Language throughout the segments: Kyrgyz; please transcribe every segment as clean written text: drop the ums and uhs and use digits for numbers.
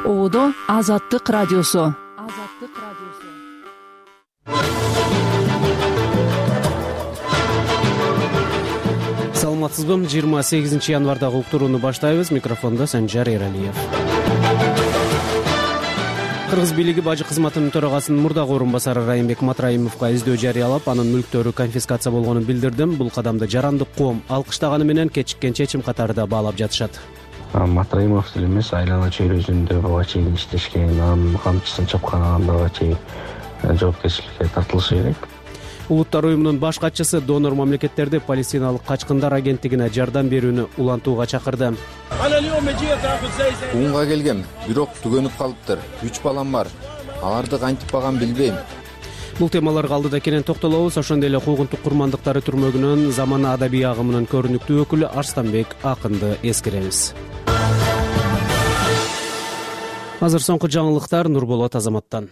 Оодо Азаттык радиосу. Саламатсызбы? 28 январдагы уктурууну баштайбыз. Микрофондо Санжар Эралиев. Кыргыз бийлиги бажы кызматынын төрагасынын мурдагы орун басары Райымбек Матраимовго издөө жарыялап, анын мүлктөрү конфискация болгонун билдирдим. Бул кадамды жарандык коом алкыштаганы менен кечиккен чечим катары баалап жатышат. Матраимов деле эмес, айлана чөйрөсүндө буга чейин иштешкен, анын камчысын чапканага чейин жоопкерчиликке тартылышы керек. Улуттар уюмунун баш катчысы донор мамлекеттерди Палестиналык качкындар агенттигине жардам берүүнү улантууга чакырды. Уунга келгем, бирок түгөнүп калыптыр. 3 балам бар. Аларды кантип багам билбейм. Бул темаларга алдыда кенен токтолобуз. Ошондой эле куугунтук курмандыктары түрмөгүнөн замана адабий агымынын көрүнүктүү өкүлү Арстанбек Акынды эскеребиз. Азыр соңку жаңылыктар Нурболот Азаматтан.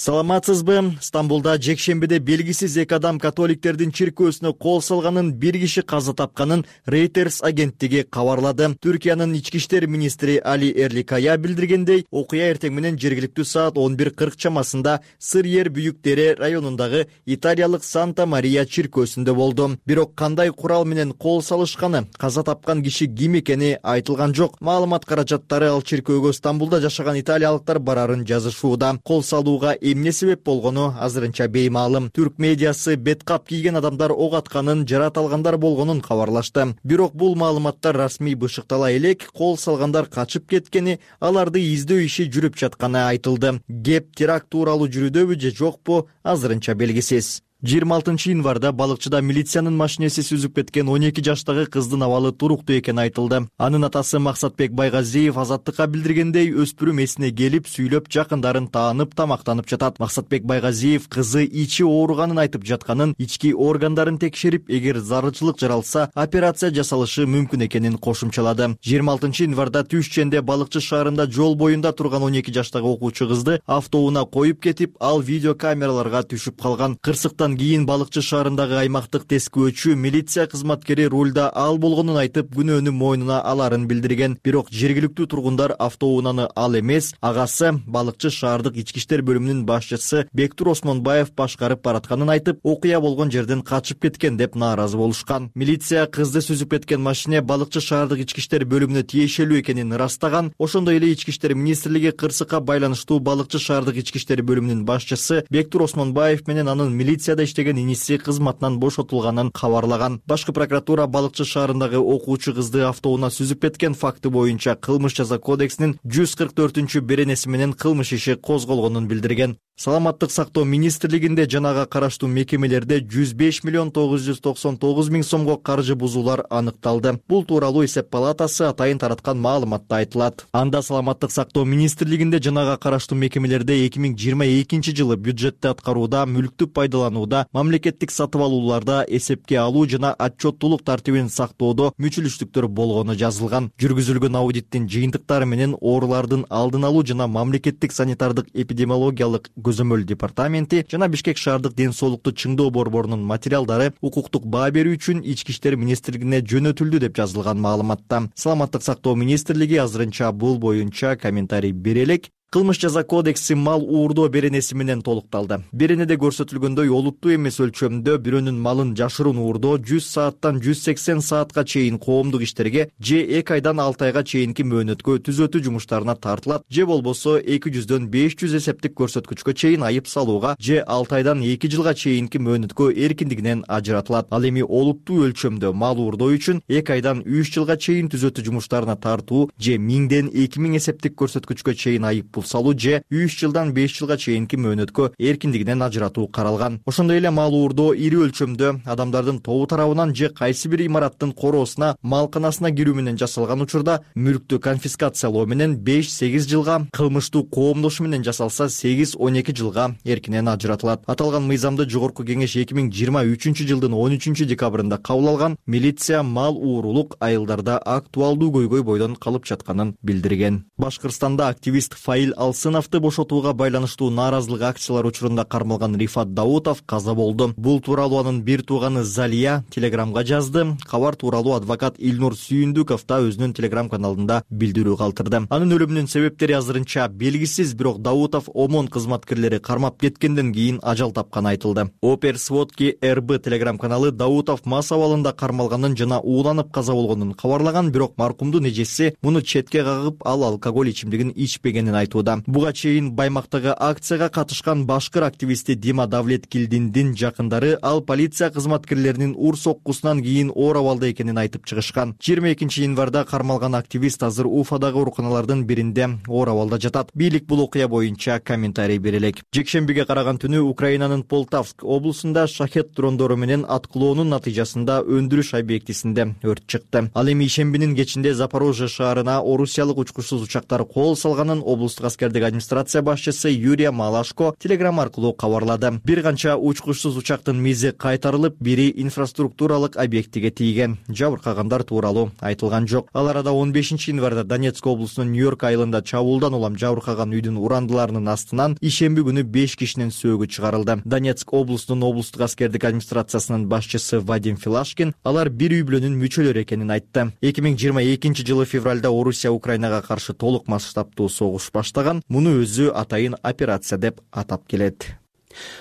Саламатсызбы? Стамбулда жекшембиде белгисиз эки адам католиктердин чиркөөсүнө кол салганын, бир киши каза тапканын Reuters агенттиги кабарлады. Түркиянын ички иштер министри Али Эрликая билдиргендей, окуя эртең менен жергиликтүү саат 11:40 чамасында Сыр-Ер Büyük Dere районундагы италиялык Санта Мария чиркөөсүндө болду. Бирок кандай курал менен кол салышканы, каза тапкан киши ким экени айтылган жок. Маалымат каражаттары ал чиркөөгө Стамбулда жашаган италиялыктар барарын жазышууда. Кол салууга эмне себеп болгону азырынча беймаалым. Түрк медиасы беткап кийген адамдар ок атканын, жарат алгандар болгонун кабарлашты. Бирок бул маалыматтар расмий бышыктала элек, кол салгандар качып кеткени, аларды издөө иши жүрүп жатканы айтылды. Кеп теракт тууралуу жүрүүдөбү же жокпу, азырынча белгисиз. 26 январда балыкчыда милициянын машинеси сүзүп кеткен 12 жаштагы кыздын абалы туруктуу экени айтылды. Анын атасы Максатбек Байгазиев Азаттыкка билдиргендей, өспүрүм эсине келип, сүйлөп, жакындарын таанып, тамактанып жатат. Максатбек Байгазиев кызы ичи ооруганын айтып жатканын, ички органдарын текшерип, эгер зарылчылык жаралса, операция жасалышы мүмкүн экенин кошумчалады. 26 январда Түшченде балыкчы шаарында жол боюнда турган 12 жаштагы окуучу кызды автоунаа коюп кетип, ал видеокамераларга түшүп калган. Кырсыктан кийин балыкчы шаарындагы аймактык тескөөчү милиция кызматкери рулда ал болгонун айтып, күнөөнү мойнуна аларын билдирген. Бирок жергиликтүү тургундар автоунааны ал эмес, агасы балыкчы шаардык ички иштер бөлүмүнүн башчысы Бектур Осмонбаев башкарып баратканын айтып, окуя болгон жерден качып кеткен деп нааразы болушкан. Милиция кызды сүзүп кеткен машине балыкчы шаардык ички иштер бөлүмүнө тиешелүү экенин ырастаган. Ошондой эле ички иштер министрлиги кырсыкка байланыштуу балыкчы шаардык ички иштер бөлүмүнүн башчысы Бектур Осмонбаев менен анын милицияда иштеген иниси кызматынан бошотулганын кабарлаган. Башкы прокуратура балыкчы шаарындагы окуучу кызды автоунаа сүзүп кеткен факты боюнча кылмыш жаза кодексинин 144 беренеси менен кылмыш иши козголгонун билдирген. Саламаттык сактоо министрлигинде жанага караштуу мекемелерде 105 миллион 999 миң сомго каржы бузуулар аныкталды. Бул тууралуу эсеп палатасы атайын тараткан маалыматта айтылат. Анда Саламаттык сактоо министрлигинде жанага караштуу мекемелерде 2022 жылы бюджетти аткарууда, мүлктү пайдаланууда, мамлекеттик сатып алууларда эсепке алуу жана отчеттуулук тартибин сактоодо мүчүлүштүктөр болгону жазылган. Жүргүзүлгөн аудиттин жыйынтыктары менен оорулардын алдын алуу жана мамлекеттик санитардык эпидемиологиялык көзөмөл департаменти жана Бишкек шаардык ден соолукту чыңдоо борборунун материалдары укуктук баа берүү үчүн ички иштер министрлигине жөнөтүлдү деп жазылган маалыматта. Саламаттык сактоо министрлиги азырынча бул боюнча комментарий бере элек. Кылмыш жаза кодекси мал уурдоо беренеси менен толукталды. Беренеде көрсөтүлгөндөй олуттуу эмес өлчөмдө бирөөнүн малын жашыруун уурдоо 100 сааттан 180 саатка чейин коомдук иштерге же 2 айдан 6 айга чейинки мөөнөткө түзөтүү жумуштарына тартылат, же болбосо 200дөн 500 эсептик көрсөткүчкө чейин айып салууга, же 6 айдан 2 жылга чейинки мөөнөткө эркиндигинен ажыратылат. Ал эми олуттуу өлчөмдө мал уурдоо үчүн 2 айдан 3 жылга чейин түзөтүү жумуштарына тартуу, же 1000ден 2000 эсептик көрсөткүчкө чейин айып салуу, же 3 жылдан 5 жылга чейинки мөөнөткө эркиндигинен ажыратуу каралган. Ошондой эле мал уурдоо ири өлчөмдө адамдардын тобу тарабынан же кайсы бир имараттын короосуна, малканасына кирүү менен жасалган учурда мүлктү конфискациялоо менен 5-8 жылга, кылмыштуу коомдошу менен жасалса 8-12 жылга эркинен ажыратылат. Аталган мыйзамды Жогорку Кеңеш 2023 жылдын 13 декабрында кабыл алган. Милиция мал уурулук айылдарда актуалдуу көйгөй бойдон калып жатканын билдирген. Башкырстанда активист Фаил Адил Алсыновду бошотууга байланыштуу нааразылык акциялар учурунда кармалган Рифат Даутов каза болду. Бул тууралуу анын бир тууганы Залия телеграмга жазды. Кабар тууралуу адвокат Илнур Сүйүндүков да өзүнүн телеграм каналында билдирүү калтырды. Анын өлүмүнүн себептери азырынча белгисиз, бирок Даутов ОМОН кызматкерлери кармап кеткенден кийин ажал тапканы айтылды. Опер Сводки РБ телеграм каналы Даутов мас абалында кармалганын жана ууланып каза болгонун кабарлаган, бирок маркумдун эжеси муну четке кагып, ал алкоголь ичимдигин ичпегенин айтууда. Буга чейин Баймактагы акцияга катышкан башкыр активисти Дима Давлеткилдиндин жакындары ал полиция кызматкерлеринин ур соккусунан кийин оор абалда экенин айтып чыгышкан. 22 январда кармалган активист азыр Уфадагы ооруканалардын биринде оор абалда жатат. Бийлик бул окуя боюнча комментарий бере элек. Жекшембиге караган түнү Украинанын Полтавск облусунда шахет дрондору менен аткылоонун натыйжасында өндүрүш объектисинде өрт чыкты. Ал эми ишембинин кечинде Запорожье шаарына орусиялык учкучсуз учактар кол салганын облустук аскердик администрация башчысы Юрия Малашко телеграм аркылуу кабарлады. Бир канча учкучсуз учактын мизи кайтарылып, бири инфраструктуралык объектиге тийген. Жабыркагандар тууралуу айтылган жок. Ал арада 15 январда Донецк облусунун Нью-Йорк айылында чабуулдан улам жабыркаган үйдүн урандыларынын астынан ишемби күнү 5 кишинин сөөгү чыгарылды. Донецк облусунун облустук аскердик администрациясынын башчысы Вадим Филашкин алар бир үй бүлөнүн мүчөлөрү экенин айтты. 2022 жылы февралда Орусия Украинага каршы толук масштабтуу согуш баштаган. Муну өзү атайын операция деп атап келет.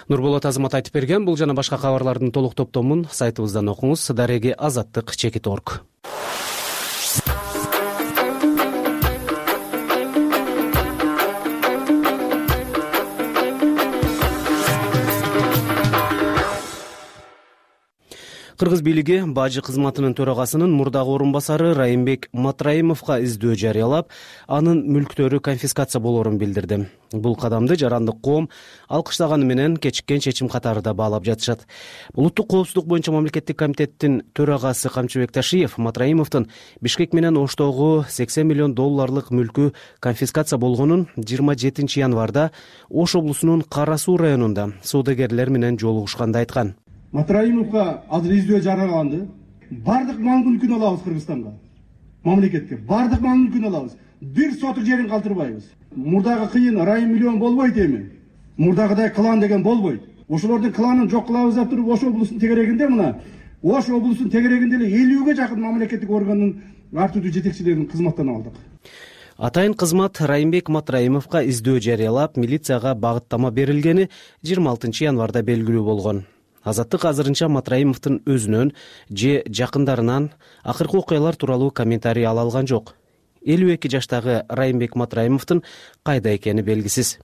Нурболот Азамат айтып берген. Бул жана башка кабарлардын толук топтомун сайтыбыздан окуңуз. Дареги Азаттык.org. Кыргыз бийлиги бажы кызматынын төрагасынын мурдагы орун басары Райымбек Матраимовго издөө жарыялап, анын мүлктөрү конфискация болоорун билдирди. Бул кадамды жарандык коом алкыштаганы менен кечиккен чечим катары баалап жатышат. Улуттук коопсуздук боюнча мамлекеттик комитеттин төрагасы Камчыбек Ташиев Матраимовдун Бишкек менен Оштогу $80 миллион мүлкү конфискация болгонун 27 январда Ош облусунун Кара Суу районунда соодагерлер менен жолугушканда айткан. Матраимовго азыр издөө жарыяланды. Бардык мал мүлкүн алабыз Кыргызстанга. Мамлекетке бардык мал мүлкүн алабыз. Бир сотук жерин калтырбайбыз. Мурдагы кыйын райым миллион болбойт эми. Мурдагыдай клан деген болбойт. Ошолордун кланын жок кылабыз деп туруп Ош облусунун тегерегинде мына Ош облусунун тегерегинде эле 50ге жакын мамлекеттик органдын ар түрдүү жетекчилерин кызматтан алдык. Атайын кызмат Райымбек Матраимовго издөө жарыялап, милицияга багыттама берилгени 26 январда белгилүү болгон. Азаттык азырынча Матраимовдун өзүнөн же жакындарынан акыркы окуялар тууралуу комментарий ала алган жок. 52 жаштагы Райымбек Матраимовдун кайда экени белгисиз.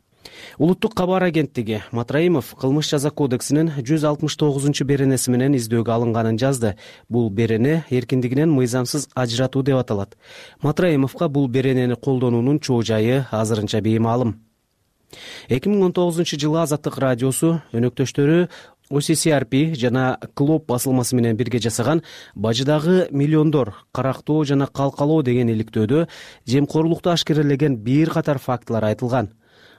Улуттук кабар агенттиги Матраимов кылмыш жаза кодексинин 169 беренеси менен издөөгө алынганын жазды. Бул берене эркиндигинен мыйзамсыз ажыратуу деп аталат. Матраимовго бул беренени колдонуунун чоо жайы азырынча беймаалым. 2019 жылы Азаттык радиосу өнөктөштөрү OCCRP жана Клоп басылмасы менен бирге жасаган бажыдагы миллиондор карактоо жана калкалоо деген иликтөөдө жемкорлукту ашкерелеген бир катар фактылар айтылган.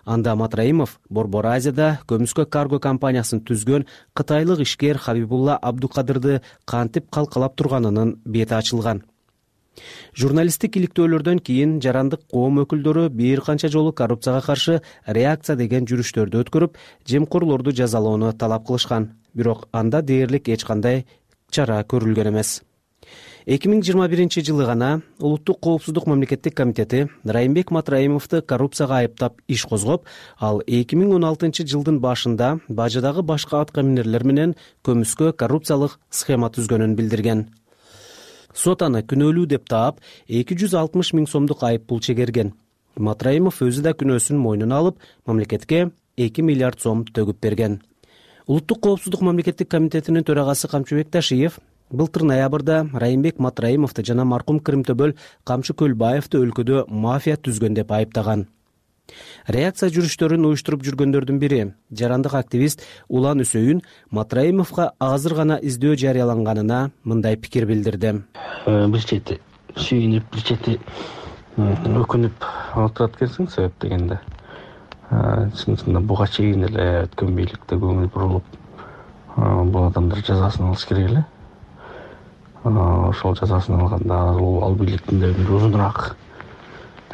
Анда Матраимов Борбор Азияда көмүскө карго компаниясын түзгөн кытайлык ишкер Хабибулла Абдукадырды кантип калкалап турганынын бети ачылган. Журналисттик иликтөөлөрдөн кийин жарандык коом өкүлдөрү бир канча жолу коррупцияга каршы реакция деген жүрүштөрдү өткөрүп, жемкорлорду жазалоону талап кылышкан. Бирок анда дээрлик эч кандай чара көрүлгөн эмес. 2021 жылы гана Улуттук коопсуздук мамлекеттик комитети Райымбек Матраимовду коррупцияга айыптап иш козгоп, ал 2016 жылдын башында бажыдагы башка аткаминерлер менен көмүскө коррупциялык схема түзгөнүн билдирген. Сот аны күнөөлүү деп таап, 260 000 сомдук айыппул чегерген. Матраимов өзү да күнөөсүн мойнуна алып, мамлекетке 2 миллиард сом төгүп берген. Улуттук коопсуздук мамлекеттик комитетинин төрагасы Камчыбек Ташиев былтыр ноябрда Райымбек Матраимовду жана маркум Кырымтөбөл Камчы Көлбаевди өлкөдө мафия түзгөн деп айыптаган. Реакция жүрүштөрүн уюштуруп жүргөндөрдүн бири жарандык активист Улан Үсөйүн Матраимовго азыр гана издөө жарыяланганына мындай пикир билдирди. Бир чети сүйүнүп, бир чети өкүнүп отурат экенсиң себеп дегенде. Чынында буга чейин эле өткөн бийликте көңүл бурулуп, бул адамдар жазасын алыш керек эле. Ошол жазасын алганда ал бийликтин да өмүрү узунураак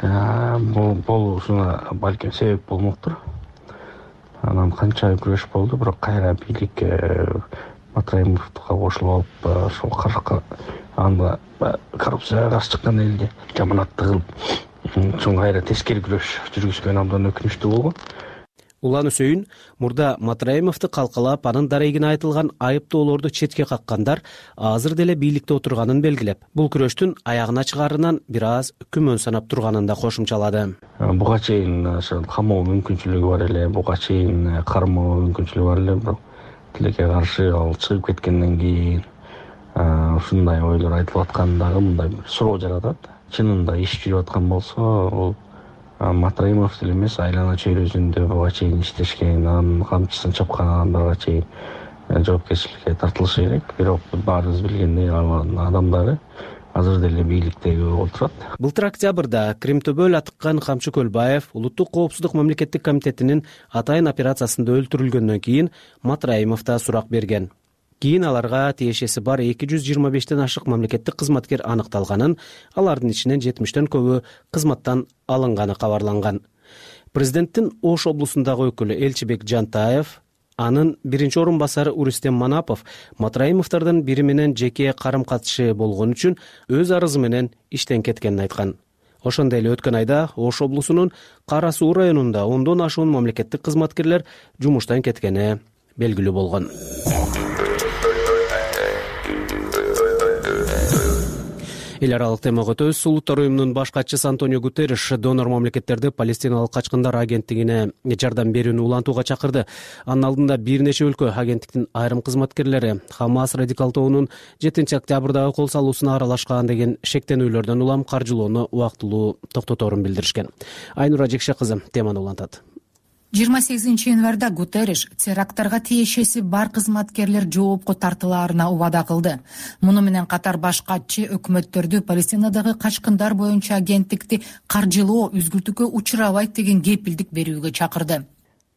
болушуна балким себеп болмоктур. Анан канча күрөш болду, бирок кайра бийлик Матраимовго кошулуп алып, ошол анда коррупцияга каршы чыккан элге жаманатты кылып, чоң кайра тескери күрөш жүргүзгөн абдан өкүнүчтүү болгон. Улан Үсөйүн мурда Матраимовду калкалап, анын дарегине айтылган айыптоолорду четке каккандар азыр деле бийликте отурганын белгилеп, бул күрөштүн аягына чыгарынан бир аз күмөн санап турганын да кошумчалады. Буга чейин камоо мүмкүнчүлүгү бар эле, буга чейин кармоо мүмкүнчүлүгү бар эле, бирок тилекке каршы ал чыгып кеткенден кийин ушундай ойлор айтылып аткандагы мындай бир суроо жаратат. Чынында иш жүрүп аткан болсо, ол Матраимов деле эмес, айлана чөйрөсүндө буга чейин иштешкен, анын камчысын чапкан адамдарга чейин жоопкерчиликке тартылышы керек. Бирок баарыбыз билгендей, адамдары азыр деле бийликтеги отурат. Былтыр октябрда Кремтөбөл Атыккан Камчы Көлбаев Улуттук коопсуздук мамлекеттик комитетинин атайын операциясында өлтүрүлгөндөн кийин Матраимов да сурак берген. Кийин аларга тиешеси бар 225тен ашык мамлекеттик кызматкер аныкталганын, алардын ичинен 70тен көбү кызматтан алынганы кабарланган. Президенттин Ош облусундагы өкүлү Элчибек Жантаев, анын биринчи орун басары Урустем Манапов Матраимовдордун бири менен жеке карым-катышы болгон үчүн өз арызы менен иштен кеткенин айткан. Ошондой эле өткөн айда Ош облусунун Кара Суу районунда 10дон ашуун мамлекеттик кызматкерлер жумуштан кеткени белгилүү болгон. Эл аралык темага өтөбүз. Улуттар уюмунун баш катчысы Антонио Гутерриш донор мамлекеттерди Палестиналык качкындар агенттигине жардам берүүнү улантууга чакырды. Анын алдында бир нече өлкө агенттиктин айрым кызматкерлери Хамас радикал тобунун 7-октябрдагы кол салуусуна аралашкан деген шектенүүлөрдөн улам каржылоону убактылуу токтоторун билдиришкен. Айнура Жекше кызы теманы улантат. 28 январда Гутерриш теракттарга тиешеси бар кызматкерлер жоопко тартылаарына убада кылды. Муну менен катар баш катчы өкмөттөрдү Палестинадагы качкындар боюнча агенттикти каржылоо үзгүлтүккө учурабайт деген кепилдик берүүгө чакырды.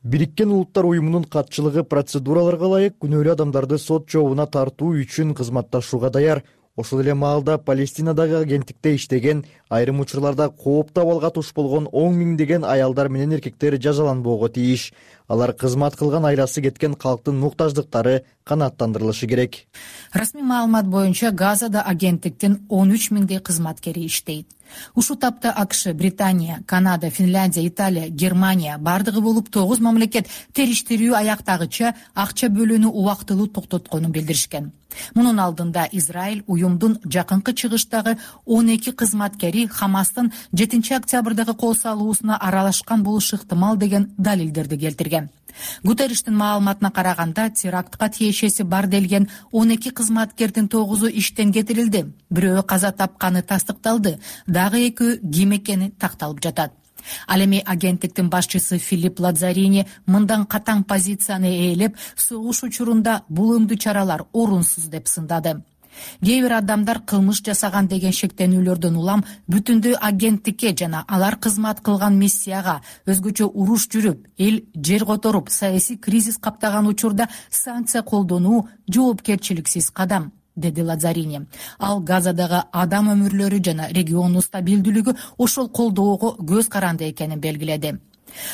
Бириккен Улуттар уюмунун катчылыгы процедураларга ылайык күнөөлүү адамдарды сот жообуна тартуу үчүн кызматташууга даяр. Ошол эле маалда Палестинадагы агенттикте иштеген, айрым учурларда кооп абалга туш болгон 10 миңдеген аялдар менен эркектер жазаланбоого тийиш. Алар кызмат кылган айласы кеткен калктын муктаждыктары канааттандырылышы керек. Расмий маалымат боюнча Газада агенттиктин 13 миңдей кызматкери иштейт. Ушу тапта АКШ, Британия, Канада, Финляндия, Италия, Германия бардыгы болуп 9 мамлекет териштирүү аяктагыча акча бөлүүнү убактылуу токтотконун билдиришкен. Мунун алдында Израиль уюмдун жакынкы чыгыштагы 12 кызматкери Хамастын 7-октябрдагы кол салуусуна аралашкан болушу ыктымал деген далилдерди келтирген. Гутерриштин маалыматына караганда, терактка тиешеси бар делген 12 кызматкердин 9-у иштен кетирилди. Бирөө каза тапканы тастыкталды, дагы 2 ким экени такталып жатат. Ал эми агенттиктин башчысы Филипп Лазарини мындан катаң позицияны ээлеп, согуш учурунда бул өңдүү чаралар орунсуз деп сындады. Кээ бир адамдар кылмыш жасаган деген шектенүүлөрдөн улам бүтүндөй агенттикке жана алар кызмат кылган миссияга өзгөчө уруш жүрүп, эл жер которуп, саясий кризис каптаган учурда санкция колдонуу жоопкерчиликсиз кадам, деди Лазарини. Ал Газадагы адам өмүрлөрү жана региондун стабилдүүлүгү ошол колдоого көз каранды экенин белгиледи.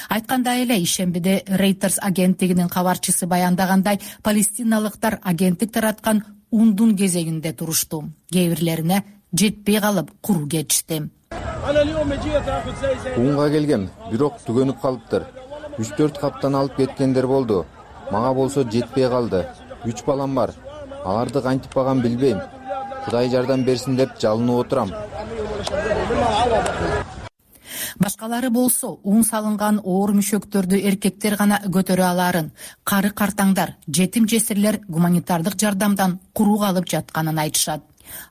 Айткандай эле, ишембиде Reuters агенттигинин кабарчысы баяндагандай, палестиналыктар агенттик тараткан ундун кезегинде турушту. Кээ бирлерине жетпей калып куру кетишти. Унга келгем, бирок түгөнүп калыптыр. 3-4 каптан алып кеткендер болду. Мага болсо жетпей калды. 3 балам бар. Аларды кантип багам билбейм. Кудай жардам берсин деп жалынып отурам. Башкалары болсо ун салынган оор мүшөктөрдү эркектер гана көтөрө аларын, кары картаңдар, жетим жесирлер гуманитардык жардамдан куру калып жатканын айтышат.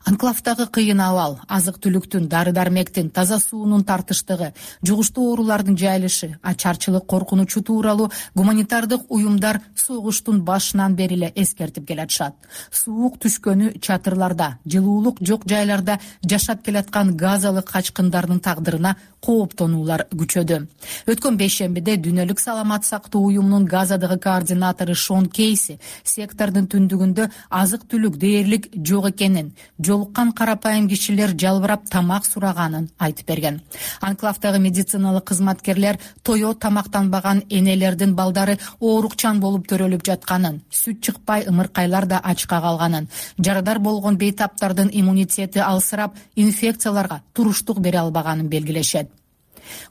Анклавдагы кыйын абал, азык-түлүктүн, дары-дармектин, таза суунун тартыштыгы, жугуштуу оорулардын жайылышы, ачарчылык коркунучу тууралуу гуманитардык уюмдар согуштун башынан бери эле эскертип келатышат. Суук түшкөнү чатырларда, жылуулук жок жайларда жашап келаткан газалык качкындардын тагдырына кооптонуулар күчөдү. Өткөн бейшембиде Дүйнөлүк саламат сактоо уюмунун Газадагы координатору Шон Кейси сектордун түндүгүндө азык түлүк дээрлик жок экенин, жолуккан карапайым кишилер жалбырап тамак сураганын айтып берген. Анклавдагы медициналык кызматкерлер тое тамактанбаган энелердин балдары оорукчан болуп төрөлүп жатканын, сүт чыкпай ымыркайлар да ачка калганын, жарадар болгон бейтаптардын иммунитети алсырап, инфекцияларга туруштук бере албаганын белгилешет.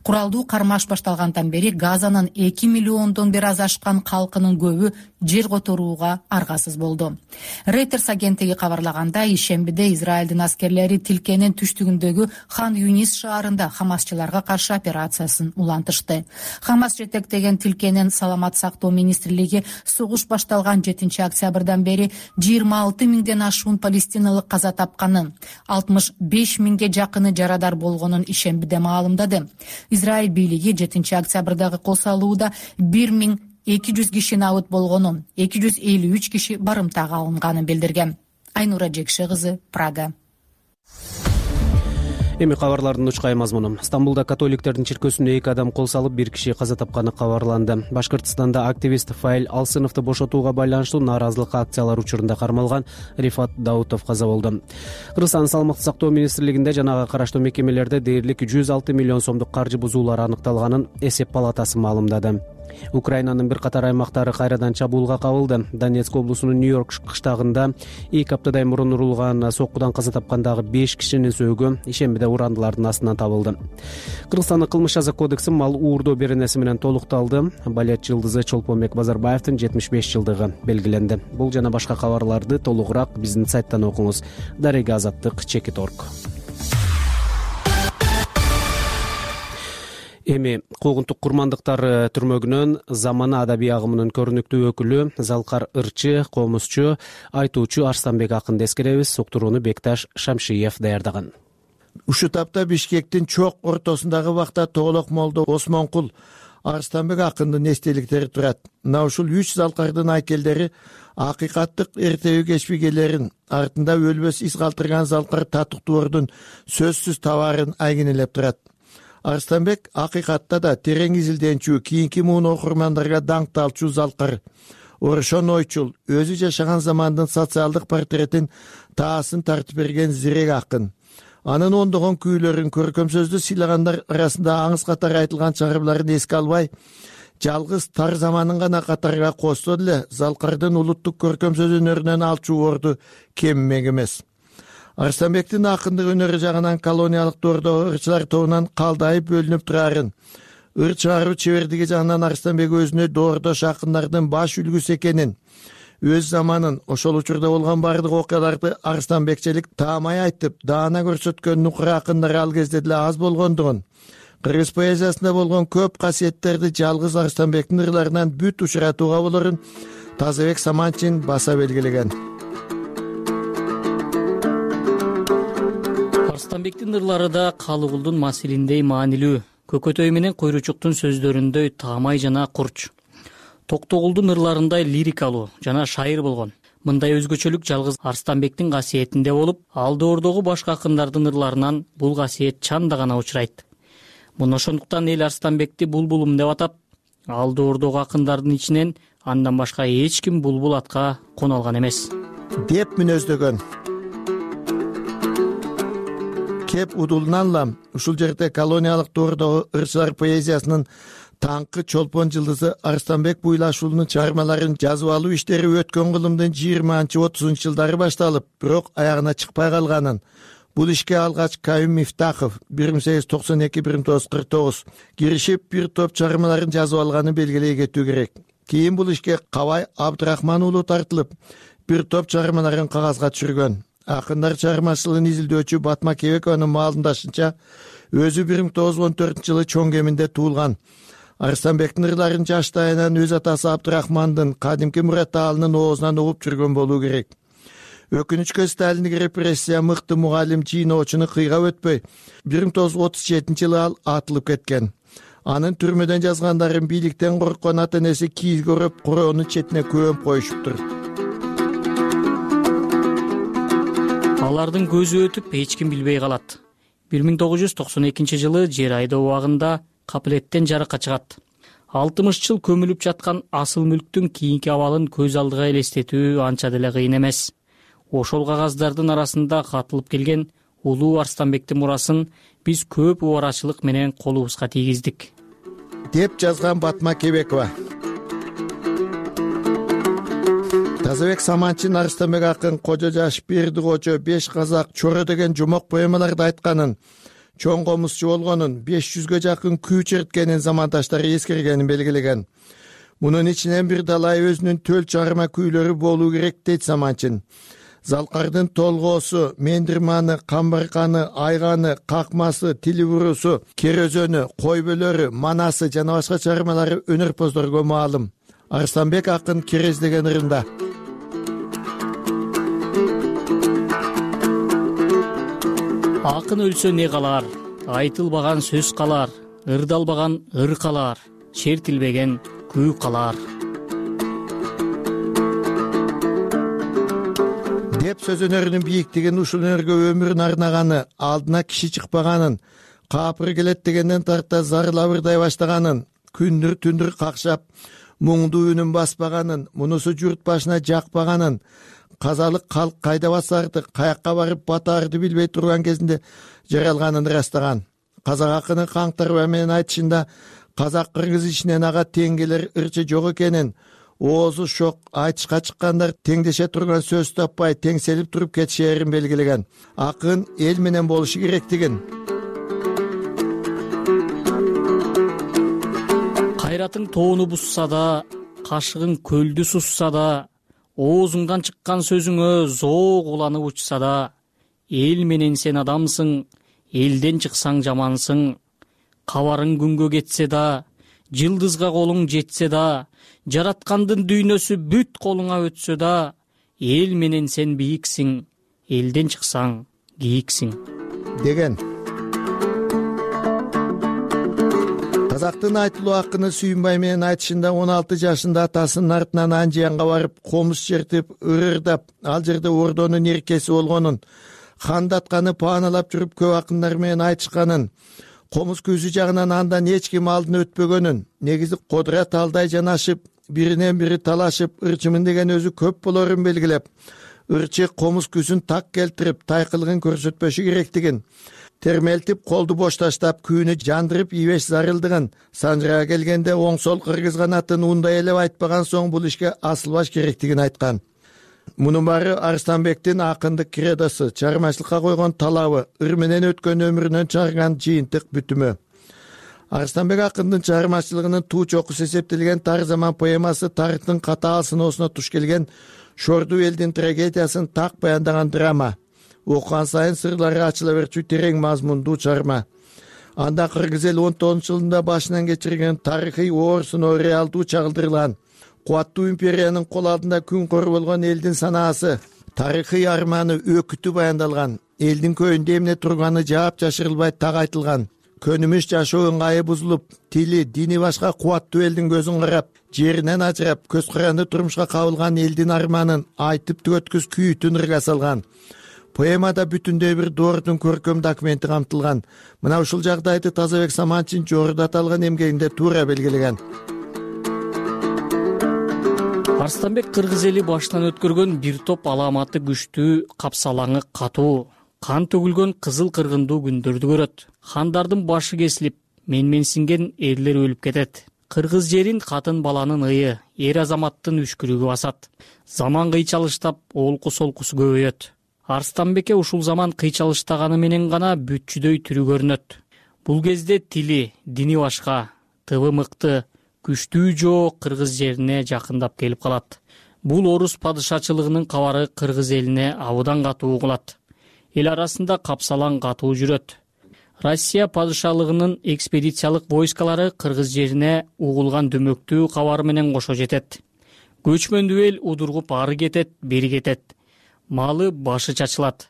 Куралдуу кармаш башталгандан бери Газанын 2 миллиондон бир аз ашкан калкынын көбү жер которууга аргасыз болду. Reuters агенттиги кабарлагандай, ишембиде Израилдин аскерлери тилкенин түштүгүндөгү Хан Юнис шаарында хамасчыларга каршы операциясын улантышты. Хамас жетектеген тилкенин саламат сактоо министрлиги согуш башталган 7-октябрдан бери 26 миңден ашуун палестиналык каза тапканын, 65 миңге жакыны жарадар болгонун ишембиде маалымдады. Израиль бийлиги 7-октябрдагы кол салууда 1200 киши набыт болгонун, 253 киши барымтага алынганын билдирген. Айнура Жекше кызы, Прага. Эми кабарлардын учкай мазмуну. Стамбулда католиктердин чиркөөсүнө 2 адам кол салып, 1 киши каза тапканы кабарланды. Башкыртстанда активист Фаил Алсыновду бошотууга байланыштуу нааразылык акциялары учурунда кармалган Рифат Даутов каза болду. Кыргызстандын саламаттык сактоо министрлигинде жанага караштуу мекемелерде дээрлик 106 миллион сомдук каржы бузуулар аныкталганын эсеп палатасы маалымдады. Украинанын бир катар аймактары кайрадан чабуулга кабылды. Донецк облусунун Нью-Йорк кыштагында 2 аптадай мурун урулган соккудан каза тапкандагы 5 кишинин сөөгү ишембиде урандылардын астынан табылды. Кыргызстандын кылмыш жаза кодекси мал уурдоо беренеси менен толукталды. Балет жылдызы Чолпонбек Базарбаевдин 75 жылдыгы белгиленди. Бул жана башка кабарларды толугураак биздин сайттан окуңуз. Дарега Азаттык, Чекит.орг. Эми куугунтук курмандыктар түрмөгүнөн замана адабий агымынын көрүнүктүү өкүлү, залкар ырчы, комузчу, айтуучу Арстанбек акынды эскеребиз. Суктурууну Бекташ Шамшиев даярдаган. Ушул тапта Бишкектин чок ортосундагы бакта Тоголок молдо Осмонкул Арстанбек акындын эстеликтери турат. Мына ушул 3 залкардын айкелдери акыйкаттык эртеби кечпигелерин, артында өлбөс из калтырган залкар татыктуордун сөзсүз табаарын айгинелеп турат. Арстанбек акыйкатта да терең изилденчү, кийинки муун окурмандарга даңкталчу залкар. Орошон ойчул, өзү жашаган замандын социалдык портретин таасын тартып берген зирек акын. Анын ондогон күүлөрүн, көркөм сөздү сыйлагандар арасында аңыз катары айтылган чыгармаларын эске албай, жалгыз тар заманын гана катарга косто деле залкардын улуттук көркөм сөз өнөрүнөн алчу орду кеммек эмес. Арстанбектин акындык өнөрү жагынан колониялык доордогу ырчылар тобунан калдайып бөлүнүп турарын, ыр чыгаруу чебердиги жагынан Арстанбек өзүнө доордош акындардын баш үлгүсү экенин, өз заманын, ошол учурда болгон бардык окуяларды арстанбекчелик таамай айтып, даана көрсөткөн нукура акындар ал кезде деле аз болгондугун, кыргыз поэзиясында болгон көп касиеттерди жалгыз Арстанбектин ырларынан бүт учуратууга болорун Тазабек Саманчин баса белгилеген. Арстанбектин ырлары да Калыгулдун маселиндей маанилүү, Көкөтөй менен Койручуктун сөздөрүндөй таамай жана курч. Токтогулдун ырларындай лирикалуу жана шайыр болгон. Мындай өзгөчөлүк жалгыз Арстанбектин касиетинде болуп, ал доордогу башка акындардын ырларынан бул касиет чанда гана учурайт. Муну ошондуктан эл Арстанбекти булбулум деп атап, ал доордогу акындардын ичинен андан башка эч ким булбул атка кона алган эмес деп мүнөздөгөн. Кеп удулнанлам ушул жерде колониялык доордогу ырчылар поэзиясынын таңкы чолпон жылдызы Арстанбек Буйлашуулунун чыгармаларын жазып алуу иштери өткөн кылымдын 20-30 жылдары башталып, бирок аягына чыкпай калганын, бул ишке алгач Каюм Мифтахов 1892-1949 киришип бир топ чыгармаларын жазып алганын белгилей кетүү керек. Кийин бул ишке Кабай Абдрахман уулу тартылып, бир топ чыгармаларын кагазга түшүргөн. Акындар чыгармачылыгын изилдөөчү Батма Кебекованын маалымдашынча, өзү 1914 жылы чоң кеминде туулган. Арстанбектин ырларын жаштайынан өз атасы Абдрахмандын, кадимки Мурат Аалынын оозунан угуп жүргөн болуу керек. Өкүнүчкө Сталиндик репрессия мыкты мугалим жийноочуну кыйга өтпөй, 1937 жылы ал атылып кеткен. Анын түрмөдөн жазгандарын бийликтен корккон ата-энеси кийиз көрүп, короонун четине көмүп коюшуптур. Алардын көзү өтүп, эч ким билбей калат. 1992 жылы жер айдоо убагында капилеттен жарыкка чыгат. 60 жыл көмүлүп жаткан асыл мүлктүн кийинки абалын көз алдыга элестетүү анча деле кыйын эмес. Ошол кагаздардын арасында катылып келген улуу Арстанбектин мурасын биз көп убарачылык менен колубузга тийгиздик, деп жазган Батма Кебекова. Тазабек Саманчин Арстанбек акын Кожо жаш, Берди Кожо, Беш казак, Чоро деген жомок поэмаларда айтканын, чоң комузчу болгонун, 500гө жакын күү черткенин замандаштары эскергенин белгилеген. Мунун ичинен бир далай өзүнүн төл чыгарма күүлөрү болуу керек дейт Саманчин. Залкардын толгоосу, Мендирманы, Камбарканы, Айганы, Какмасы, Тилибурусу, Керөзөнү, Койбөлөрү, Манасы жана башка чыгармалары өнөрпоздорго маалым. Арстанбек акын Керез деген ырында. Акын өлсө не калар, айтылбаган сөз калар, ырдалбаган ыр калар, чертилбеген күү калар. Деп сөз өнөрүнүн бийиктигин, ушул өнөргө өмүрүн арнаганы, алдына киши чыкпаганын, капыр келет дегенден тарта зарылап ырдай баштаганын, күндүр түндүр какшап муңдуу үнүн баспаганын, мунусу журт башына жакпаганын, казалык калк кайда басарды, каякка барып батаарды билбей турган кезинде жаралганын ырастаган. Казак акынын Каңтарба менен айтышында казак-кыргыз ичинен ага тең келер ырчы жок экенин, оозу шок айтышка чыккандар теңдеше турган сөз таппай теңселип туруп кетишерин белгилеген. Акын эл менен болушу керектигин, кайратың тоону бусса да, кашыгың көлдү сусса да, оозуңдан чыккан сөзүңө зоок уланып учса да, эл менен сен адамсың, элден чыксаң жамансың. Кабарың күнгө кетсе да, жылдызга колуң жетсе да, жараткандын дүйнөсү бүт колуңа өтсө да, эл менен сен бийиксиң, элден чыксаң кийиксиң деген. Казактын айтылуу акыны Сүйүнбай менен айтышында 16 жашында атасынын артынан Анжиянга барып, комуз чертип, ырырдап, ал жерде ордонун эркеси болгонун, хандатканы пааналап жүрүп көп акындар менен айтышканын, комуз көзү жагынан андан эч ким алдын өтпөгөнүн, негизи кодура талдай жанашып, биринен бири талашып, ырчымын деген өзү көп болорун белгилеп, ырчы комуз күзүн так келтирип, тайкылыгын көрсөтпөшү керектигин, термелтип, колду бош таштап, күүнү жандырып ийбеш зарылдыгын, санжырага келгенде оң сол кыргыз канатын ундай элеп айтпаган соң бул ишке асылбаш керектигин айткан. Мунун баары Арстанбектин акындык кредосу, чыгармачылыкка койгон талабы, ыр менен өткөн өмүрүнөн чыгарган жыйынтык бүтүмү. Арстанбек акындын чыгармачылыгынын туу чокусу эсептелген Тар заман поэмасы тарыхтын катаал сыноосуна туш келген шордуу элдин трагедиясын так баяндаган драма. Окуган сайын сырлары ачыла берчү терең мазмундуу чыгарма. Анда кыргыз эл 19-жылында башынан кечирген тарыхый оор сыноо реалдуу чагылдырылган. Кубаттуу империянын кол алдында күн кор болгон элдин санаасы, тарыхый арманы, өкүтү баяндалган. Элдин көйүндө эмне турганы жаап жашырылбай так айтылган. Көнүмүш жашоо ыңгайы бузулуп, тили, дини башка кубаттуу элдин көзүн карап, жеринен ажырап, көз каранды турмушка кабылган элдин арманын айтып түгөткүс күйүтүн ырга салган. Поэмада бүтүндөй бир доордун көркөм документи камтылган. Мына ушул жагдайды Тазабек Саманчин жогоруда аталган эмгегинде туура белгилеген. Арстанбек кыргыз эли башынан өткөргөн бир топ аламаты күчтүү, капсалаңы катуу, кан төгүлгөн кызыл кыргындуу күндөрдү көрөт. Хандардын башы кесилип, менменсинген эрлер өлүп кетет. Кыргыз жерин катын баланын ыйы, эр азаматтын үшкүрүгү басат. Заман кыйчалыштап, олку солкусу көбөйөт. Арстанбекке ушул заман кыйчалыштаганы менен гана бүтчүдөй түрү көрүнөт. Бул кезде тили, дини башка, тыбы мыкты, күчтүү жоо кыргыз жерине жакындап келип калат. Бул орус падышачылыгынын кабары кыргыз элине абыдан катуу угулат. Эл арасында капсалаң катуу жүрөт. Россия падышалыгынын экспедициялык войскалары кыргыз жерине угулган дөмөктүү кабар менен кошо жетет. Көчмөндүү эл удургуп ары кетет, бери кетет. Малы башы чачылат.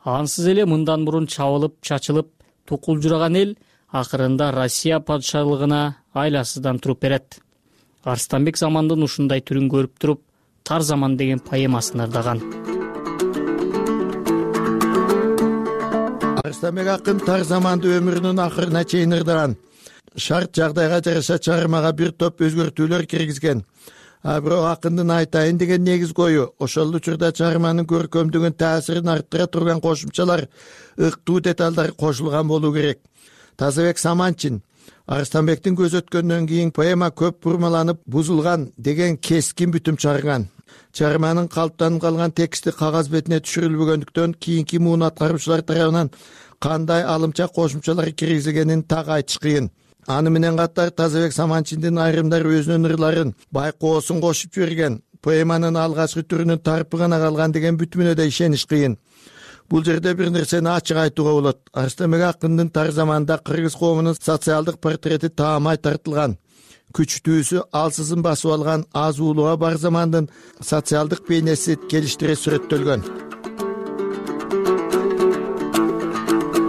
Ансыз эле мындан мурун чабылып, чачылып, тукулжураган эл акырында Россия падышалыгына айласыздан туруп берет. Арстанбек замандын ушундай түрүн көрүп туруп, Тар заман деген поэмасын ырдаган. Арстанбек акын Тар заманды өмүрүнүн акырына чейин ырдаган. шарт жагдайга жараша чыгармага бир топ өзгөртүүлөр киргизген. Бирок акындын айтайын деген негиз кою ошол учурда чыгарманын көркөмдүгүн таасирин арттыра турган кошумчалар, ыктуу деталдар кошулган болуу керек. Тазабек Саманчин Арыстанбектин көз өткөндөн кийин поэма көп бурмаланып бузулган деген кескин бүтүм чыгарган. Чыгарманын калыптанып калган тексти кагаз бетине түшүрүлбөгөндүктөн кийинки муун аткаруучулар тарабынан кандай алымча кошумчалар киргизилгенин так айтыш кыйын. Аны менен катар Тазабек Саманчиндин айрымдары өзүнүн ырларын байкоосун кошуп жиберген. Поэманын алгачкы түрүнүн тарпы гана калган деген бүтүмүнө да ишениш кыйын. Бул жерде бир нерсени ачык айтууга болот. Арыстанбек акындын тар заманда кыргыз коомунун социалдык портрети таамай тартылган. Күчтүүсү алсызын басып алган аз уулуга бар замандын социалдык бейнеси келиштире сүрөттөлгөн.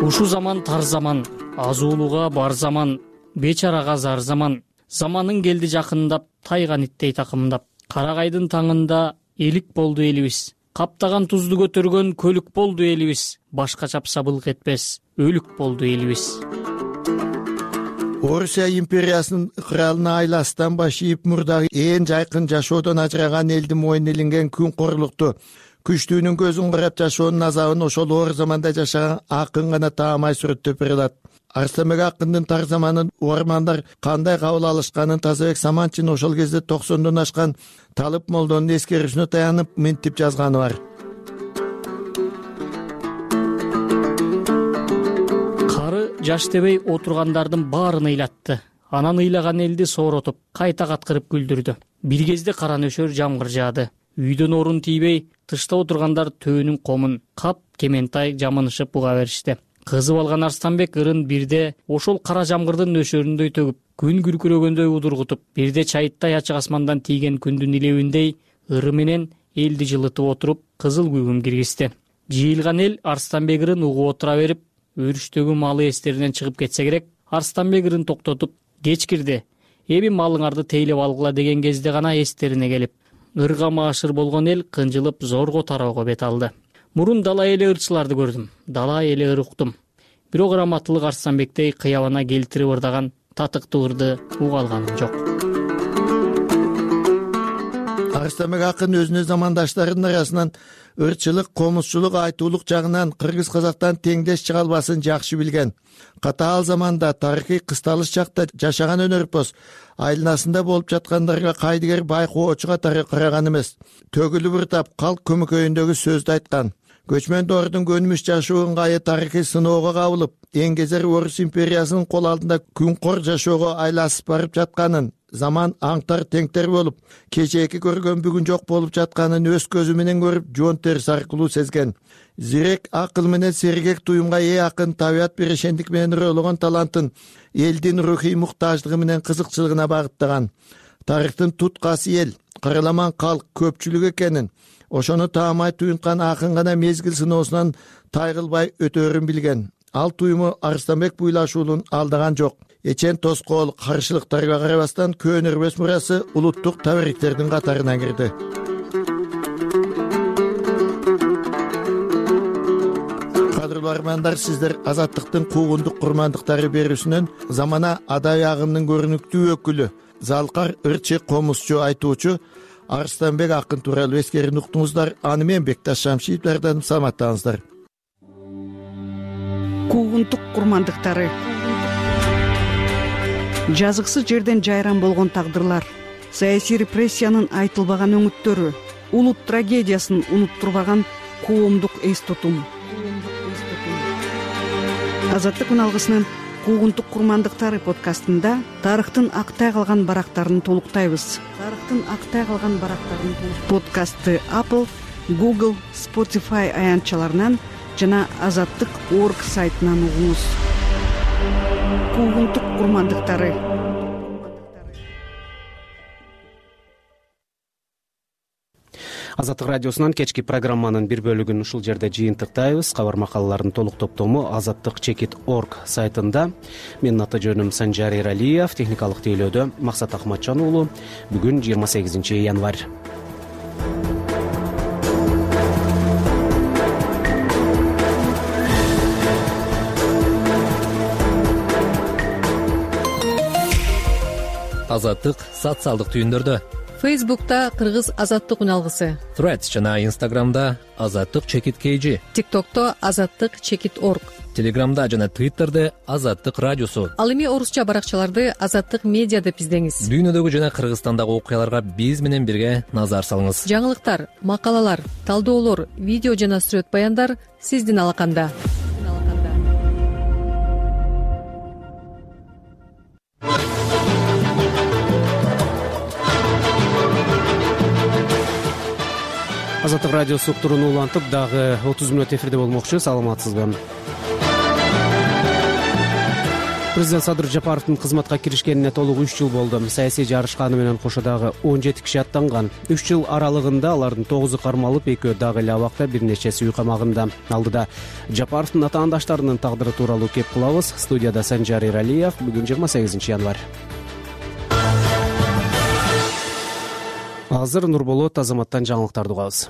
Ушу заман тар заман, аз уулуга бар заман, бечарага зар заман. Заманын келди жакындап, тайган иттей такымдап. Карагайдын таңында элик болду элибиз. Каптаган тузду көтөргөн көлүк болду элибиз. Башка чапса былк этпес, өлүк болду элибиз. Орусия империясынын ыкыралына айластан баш ийип мурдагы ээн жайкын жашоодон ажыраган элдин мойнуна илинген күн корлукту, күчтүүнүн көзүн карап жашоонун азабын ошол оор заманда жашаган акын гана таамай сүрөттөп бере алат. Арыстанбек акындын тар заманын угармандар кандай кабыл алышканын Тазабек Саманчин ошол кезде 90дон ашкан Талып молдонун эскерүүсүнө таянып минтип жазганы бар. Кары жаш дебей отургандардын баарын ыйлатты. Анан ыйлаган элди сооротуп, кайта каткырып күлдүрдү. Бир кезде кара нөшөр жамгыр жаады. Үйдөн орун тийбей, тышта отургандар төөнүн комун кап кементай жамынышып буга беришти. Кызып алган Арыстанбек ырын бирде ошол кара жамгырдын нөшөрүндөй төгүп, күн күркүрөгөндөй удургутуп, бирде чайыттай ачык асмандан тийген күндүн илебиндей ыры менен элди жылытып отуруп, кызыл күгүм киргизди. Жыйылган эл Арыстанбек ырын угуп отура берип, өрүштөгү малы эстеринен чыгып кетсе керек. Арыстанбек ырын токтотуп, кеч кирди, эми малыңарды тейлеп алгыла деген кезде гана эстерине келип, ырга маашыр болгон эл кынжылып зорго тароого бет алды. Мурун дала эли ырчыларды көрдүм, дала эли ыр уктум. Бирок раматтылык Арыстанбектей кыябана келтирип ырдаган татыктуу ырды уга алганым жок. Арыстанбек акын өзүнүн замандаштарынын арасынан ырчылык, комузчулук, айтуулук жагынан кыргыз казактан теңдеш чыга албасын жакшы билген. Катаал заманда тарыхый кысталыш чакта жашаган өнөрпоз айланасында болуп жаткандарга кайдыгер байкоочу катары караган эмес. Төгүлүп ырдап, калк көмөкөйүндөгү сөздү айткан. Көчмөн доордун көнүмүш жашоо ыңгайы тарыхый сыноого кабылып, эңгезер Орус империясынын кол алдында күнкор жашоого айласып барып жатканын, заман аңтар теңтер болуп, кечээки көргөн бүгүн жок болуп жатканын өз көзү менен көрүп, жон терси аркылуу сезген. Зирек акыл менен сергек туюмга ээ акын табият бирешендик менен ырыологон талантын элдин рухий муктаждыгы менен кызыкчылыгына багыттаган. Тарыхтын туткасы эл, караламан калк, көпчүлүк экенин, ошону таамай туюнткан акын гана мезгил сыноосунан тайгылбай өтөөрүн билген. Ал туюму Арыстанбек буйлашуулун алдаган жок. Эчен тоскоол каршылыктарга карабастан көөнөрбөс мурасы улуттук табариктердин катарына кирди. Кадырлуу армандар, сиздер Азаттыктын куугундук курмандыктары берүүсүнөн замана адабий агымынын көрүнүктүү өкүлү, залкар ырчы, комузчу, айтуучу Арыстанбек акын тууралуу эскерин уктуңуздар. Аны мен Бекташ Шамшиевлерден саламаттаңыздар. Куугунтук курмандыктары. Жазыксыз жерден жайран болгон тагдырлар, саясий репрессиянын айтылбаган өңүттөрү, улут трагедиясын унуттурбаган коомдук эс тутум. Азаттык үналгысынын Куугунтук курмандыктары подкастында тарыхтын актай калган барактарын толуктайбыз. Подкастты Apple, Google, Spotify аянтчаларынан жана Азаттык.org сайтынан угуңуз. Куугунтук курмандыктары. Азаттык радиосунан кечки программанын бир бөлүгүн ушул жерде жыйынтыктайбыз. Кабар макалалардын толук топтому Азаттык.org сайтында. Менин аты жөнүм Санжар Эралиев, техникалык тейлөөдө Максат Ахматжан уулу. Бүгүн 28 январь. Азаттык социалдык түйүндөрдө, Фейсбукта Кыргыз азаттык үналгысы, Threads жана Instagramда Азаттык _KG, TikTokто Азаттык _org, Телеграмда жана Twitterде Азаттык радиосу. Ал эми орусча баракчаларды Азаттык медиа деп издеңиз. Дүйнөдөгү жана Кыргызстандагы окуяларга биз менен бирге назар салыңыз. Жаңылыктар, макалалар, талдоолор, видео жана сүрөт баяндар сиздин алаканда. Азаттык радиосу уктуруну улантып дагы 30 мүнөт эфирде болмокчу. Саламатсызбы? Президент Садыр Жапаровдун кызматка киришкенине толук 3 жыл болду. Саясий жарышка аны менен кошо дагы 17 киши аттанган. 3 жыл аралыгында алардын 9-у кармалып, 2-өө дагы эле абакта, бир нечеси үй камагында. Алдыда Жапаровдун атаандаштарынын тагдыры тууралуу кеп кылабыз. Студияда Санжар Иралиев. Бүгүн 28 январь. Азыр Нурболот Азаматтан жаңылыктарды угабыз.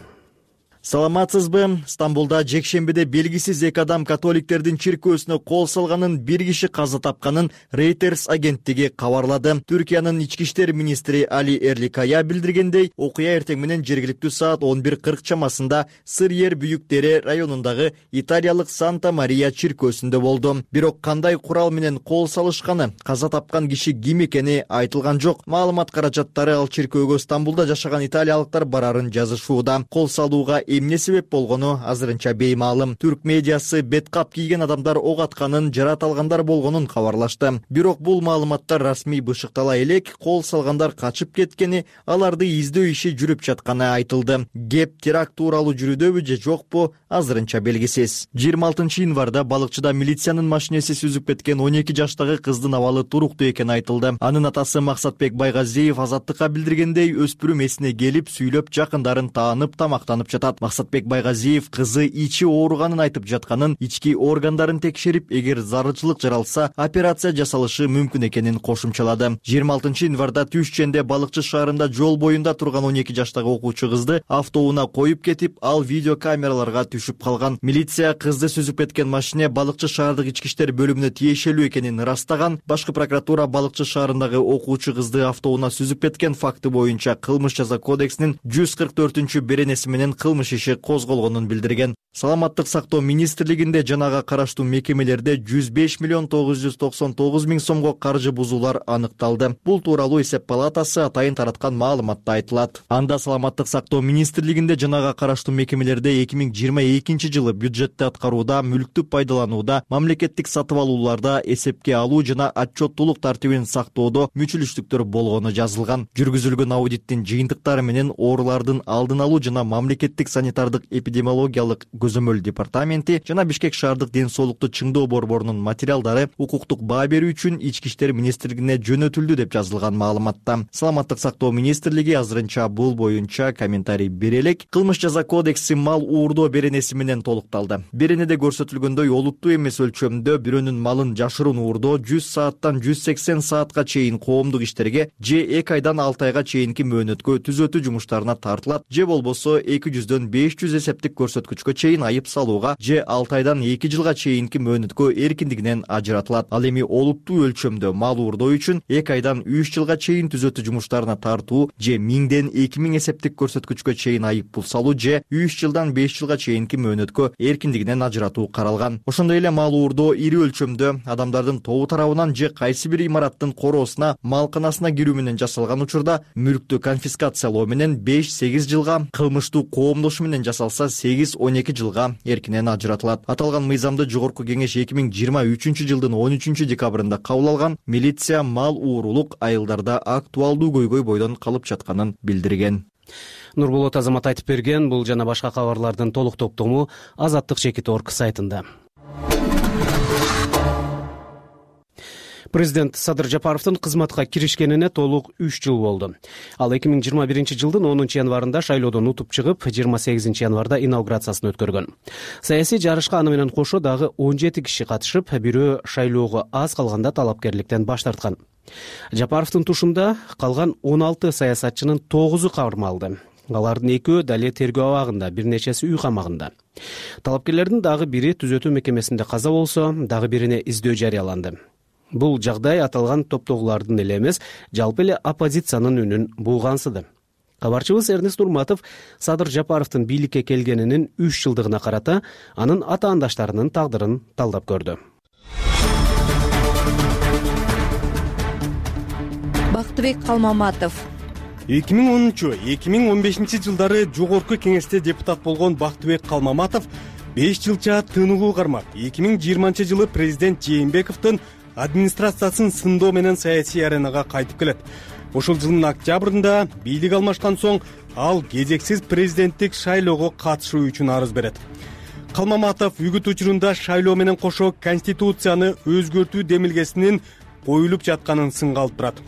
Саламатсызбы? Стамбулда жекшембиде белгисиз 2 адам католиктердин чиркөөсүнө кол салганын, 1 киши каза тапканын Reuters агенттиги кабарлады. Түркиянын ички иштер министри Али Эрликая билдиргендей, окуя эртең менен жергиликтүү саат 11:40 чамасында Сыр-Ер Büyük Dere районундагы италиялык Санта Мария чиркөөсүндө болду. Бирок кандай курал менен кол салышканы, каза тапкан киши ким экени айтылган жок. Маалымат каражаттары ал чиркөөгө Стамбулда жашаган италиялыктар барарын жазышууда. Кол салууга эмне себеп болгону азырынча беймаалым. Түрк медиасы бет кап кийген адамдар ок атканын, жарат алгандар болгонун кабарлашты. Бирок бул маалыматтар расмий бышыктала элек, кол салгандар качып кеткени, аларды издөө иши жүрүп жатканы айтылды. Кеп теракт тууралуу жүрүүдөбү же жокпу, азырынча белгисиз. 26 январда балыкчыда милициянын машинеси сүзүп кеткен 12 жаштагы кыздын абалы туруктуу экени айтылды. Анын атасы Максатбек Байгазиев Азаттыкка билдиргендей, өспүрүм эсине келип, сүйлөп, жакындарын таанып, тамактанып жатат. Максатбек Байгазиев кызы ичи ооруганын айтып жатканын, ички органдарын текшерип, эгер зарылчылык жаралса, операция жасалышы мүмкүн экенин кошумчалады. 26 январда Түшченде балыкчы шаарында жол боюнда турган 12 жаштагы окуучу кызды автоунаа коюп кетип, ал видео камераларга түшүп калган. Милиция кызды сүзүп кеткен машине балыкчы шаардык ички иштер бөлүмүнө тиешелүү экенин ырастаган. Башкы прокуратура балыкчы шаарындагы окуучу кызды автоунаа сүзүп кеткен факты боюнча кылмыш жаза кодексинин 144 беренеси менен кылмыш иши козголгонун билдирген. Саламаттык сактоо министрлигинде жанага караштуу мекемелерде 105 миллион 999 миң сомго каржы бузуулар аныкталды. Бул тууралуу эсеп палатасы атайын тараткан маалыматта айтылат. Анда Саламаттык сактоо министрлигинде жанага караштуу мекемелерде 2022 жылы бюджетти аткарууда, мүлктү пайдаланууда, мамлекеттик сатып алууларда эсепке алуу жана отчеттуулук тартибин сактоодо мүчүлүштүктөр болгону жазылган. Жүргүзүлгөн аудиттин жыйынтыктары менен оорулардын алдын алуу жана мамлекеттик санитардык эпидемиологиялык көзөмөл департаменти жана Бишкек шаардык ден соолукту чыңдоо борборунун материалдары укуктук баа берүү үчүн ички иштер министрлигине жөнөтүлдү деп жазылган маалыматта. Саламаттык сактоо министрлиги азырынча бул боюнча комментарий бере элек. Кылмыш жаза кодекси мал уурдоо беренеси менен толукталды. Беренеде көрсөтүлгөндөй, олуттуу эмес өлчөмдө бирөөнүн малын жашыруун уурдоо 100 сааттан 180 саатка чейин коомдук иштерге же 2 айдан 6 айга чейинки мөөнөткө түзөтүү жумуштарына тартылат, же болбосо 200дөн 500 эсептик көрсөткүчкө чейин айып салууга, же 6 айдан 2 жылга чейинки мөөнөткө эркиндигинен ажыратылат. Ал эми олуттуу өлчөмдө мал уурдоо үчүн 2 айдан 3 жылга чейин түзөтүү жумуштарына тартуу, же 1000ден 2000 эсептик көрсөткүчкө чейин айып пул салуу, же 3 жылдан 5 жылга чейинки мөөнөткө эркиндигинен ажыратуу каралган. Ошондой эле мал уурдоо ири өлчөмдө адамдардын тобу тарабынан же кайсы бир имараттын короосуна, малканасына кирүү менен жасалган учурда мүлктү конфискациялоо менен 5-8 жылга, кылмыштуу коомдошу менен жасалса 8-12 жылга эркинен ажыратылат. Аталган мыйзамды Жогорку кеңеш 2023 жылдын 13 декабрында кабыл алган. Милиция мал уурулук айылдарда актуалдуу көйгөй бойдон калып жатканын билдирген. Нурболот Азамат айтып берген. Бул жана башка кабарлардын толук топтому Азаттык_org сайтында. Президент Садыр Жапаровдун кызматка киришкенине толук 3 жыл болду. Ал 2021 жылдын 10 январында шайлоодон утуп чыгып, 28 январда инаугурациясын өткөргөн. Саясий жарышка аны менен кошо дагы 17 киши катышып, бирөө шайлоого аз калганда талапкерликтен баш тарткан. Жапаровдун тушунда калган 16 саясатчынын 9-у кармалды. Алардын 2-өө дале тергөө абагында, бир нечеси үй камагында. Талапкерлердин дагы бири түзөтүү мекемесинде каза болсо, дагы бирине издөө жарыяланды. Бул жагдай аталган топтогулардын эле эмес, жалпы эле оппозициянын үнүн бугансыды. Кабарчыбыз Эрнест Урматов Садыр Жапаровдун бийликке келгенинин 3 жылдыгына карата анын атаандаштарынын тагдырын талдап көрдү. Бактыбек Калмаматов 2010-2015 жылдары жогорку кеңеште депутат болгон Бактыбек Калмаматов 5 жылча тыныгуу кармап, 2020 жылы президент Жээнбековдун администрациясын сындоо менен саясий аренага кайтып келет. Ошол жылдын октябрында бийлик алмашкан соң ал кезексиз президенттик шайлоого катышуу үчүн арыз берет. Калмаматов үгүт учурунда шайлоо менен кошо конституцияны өзгөртүү демилгесинин коюлуп жатканын сынга алып турат.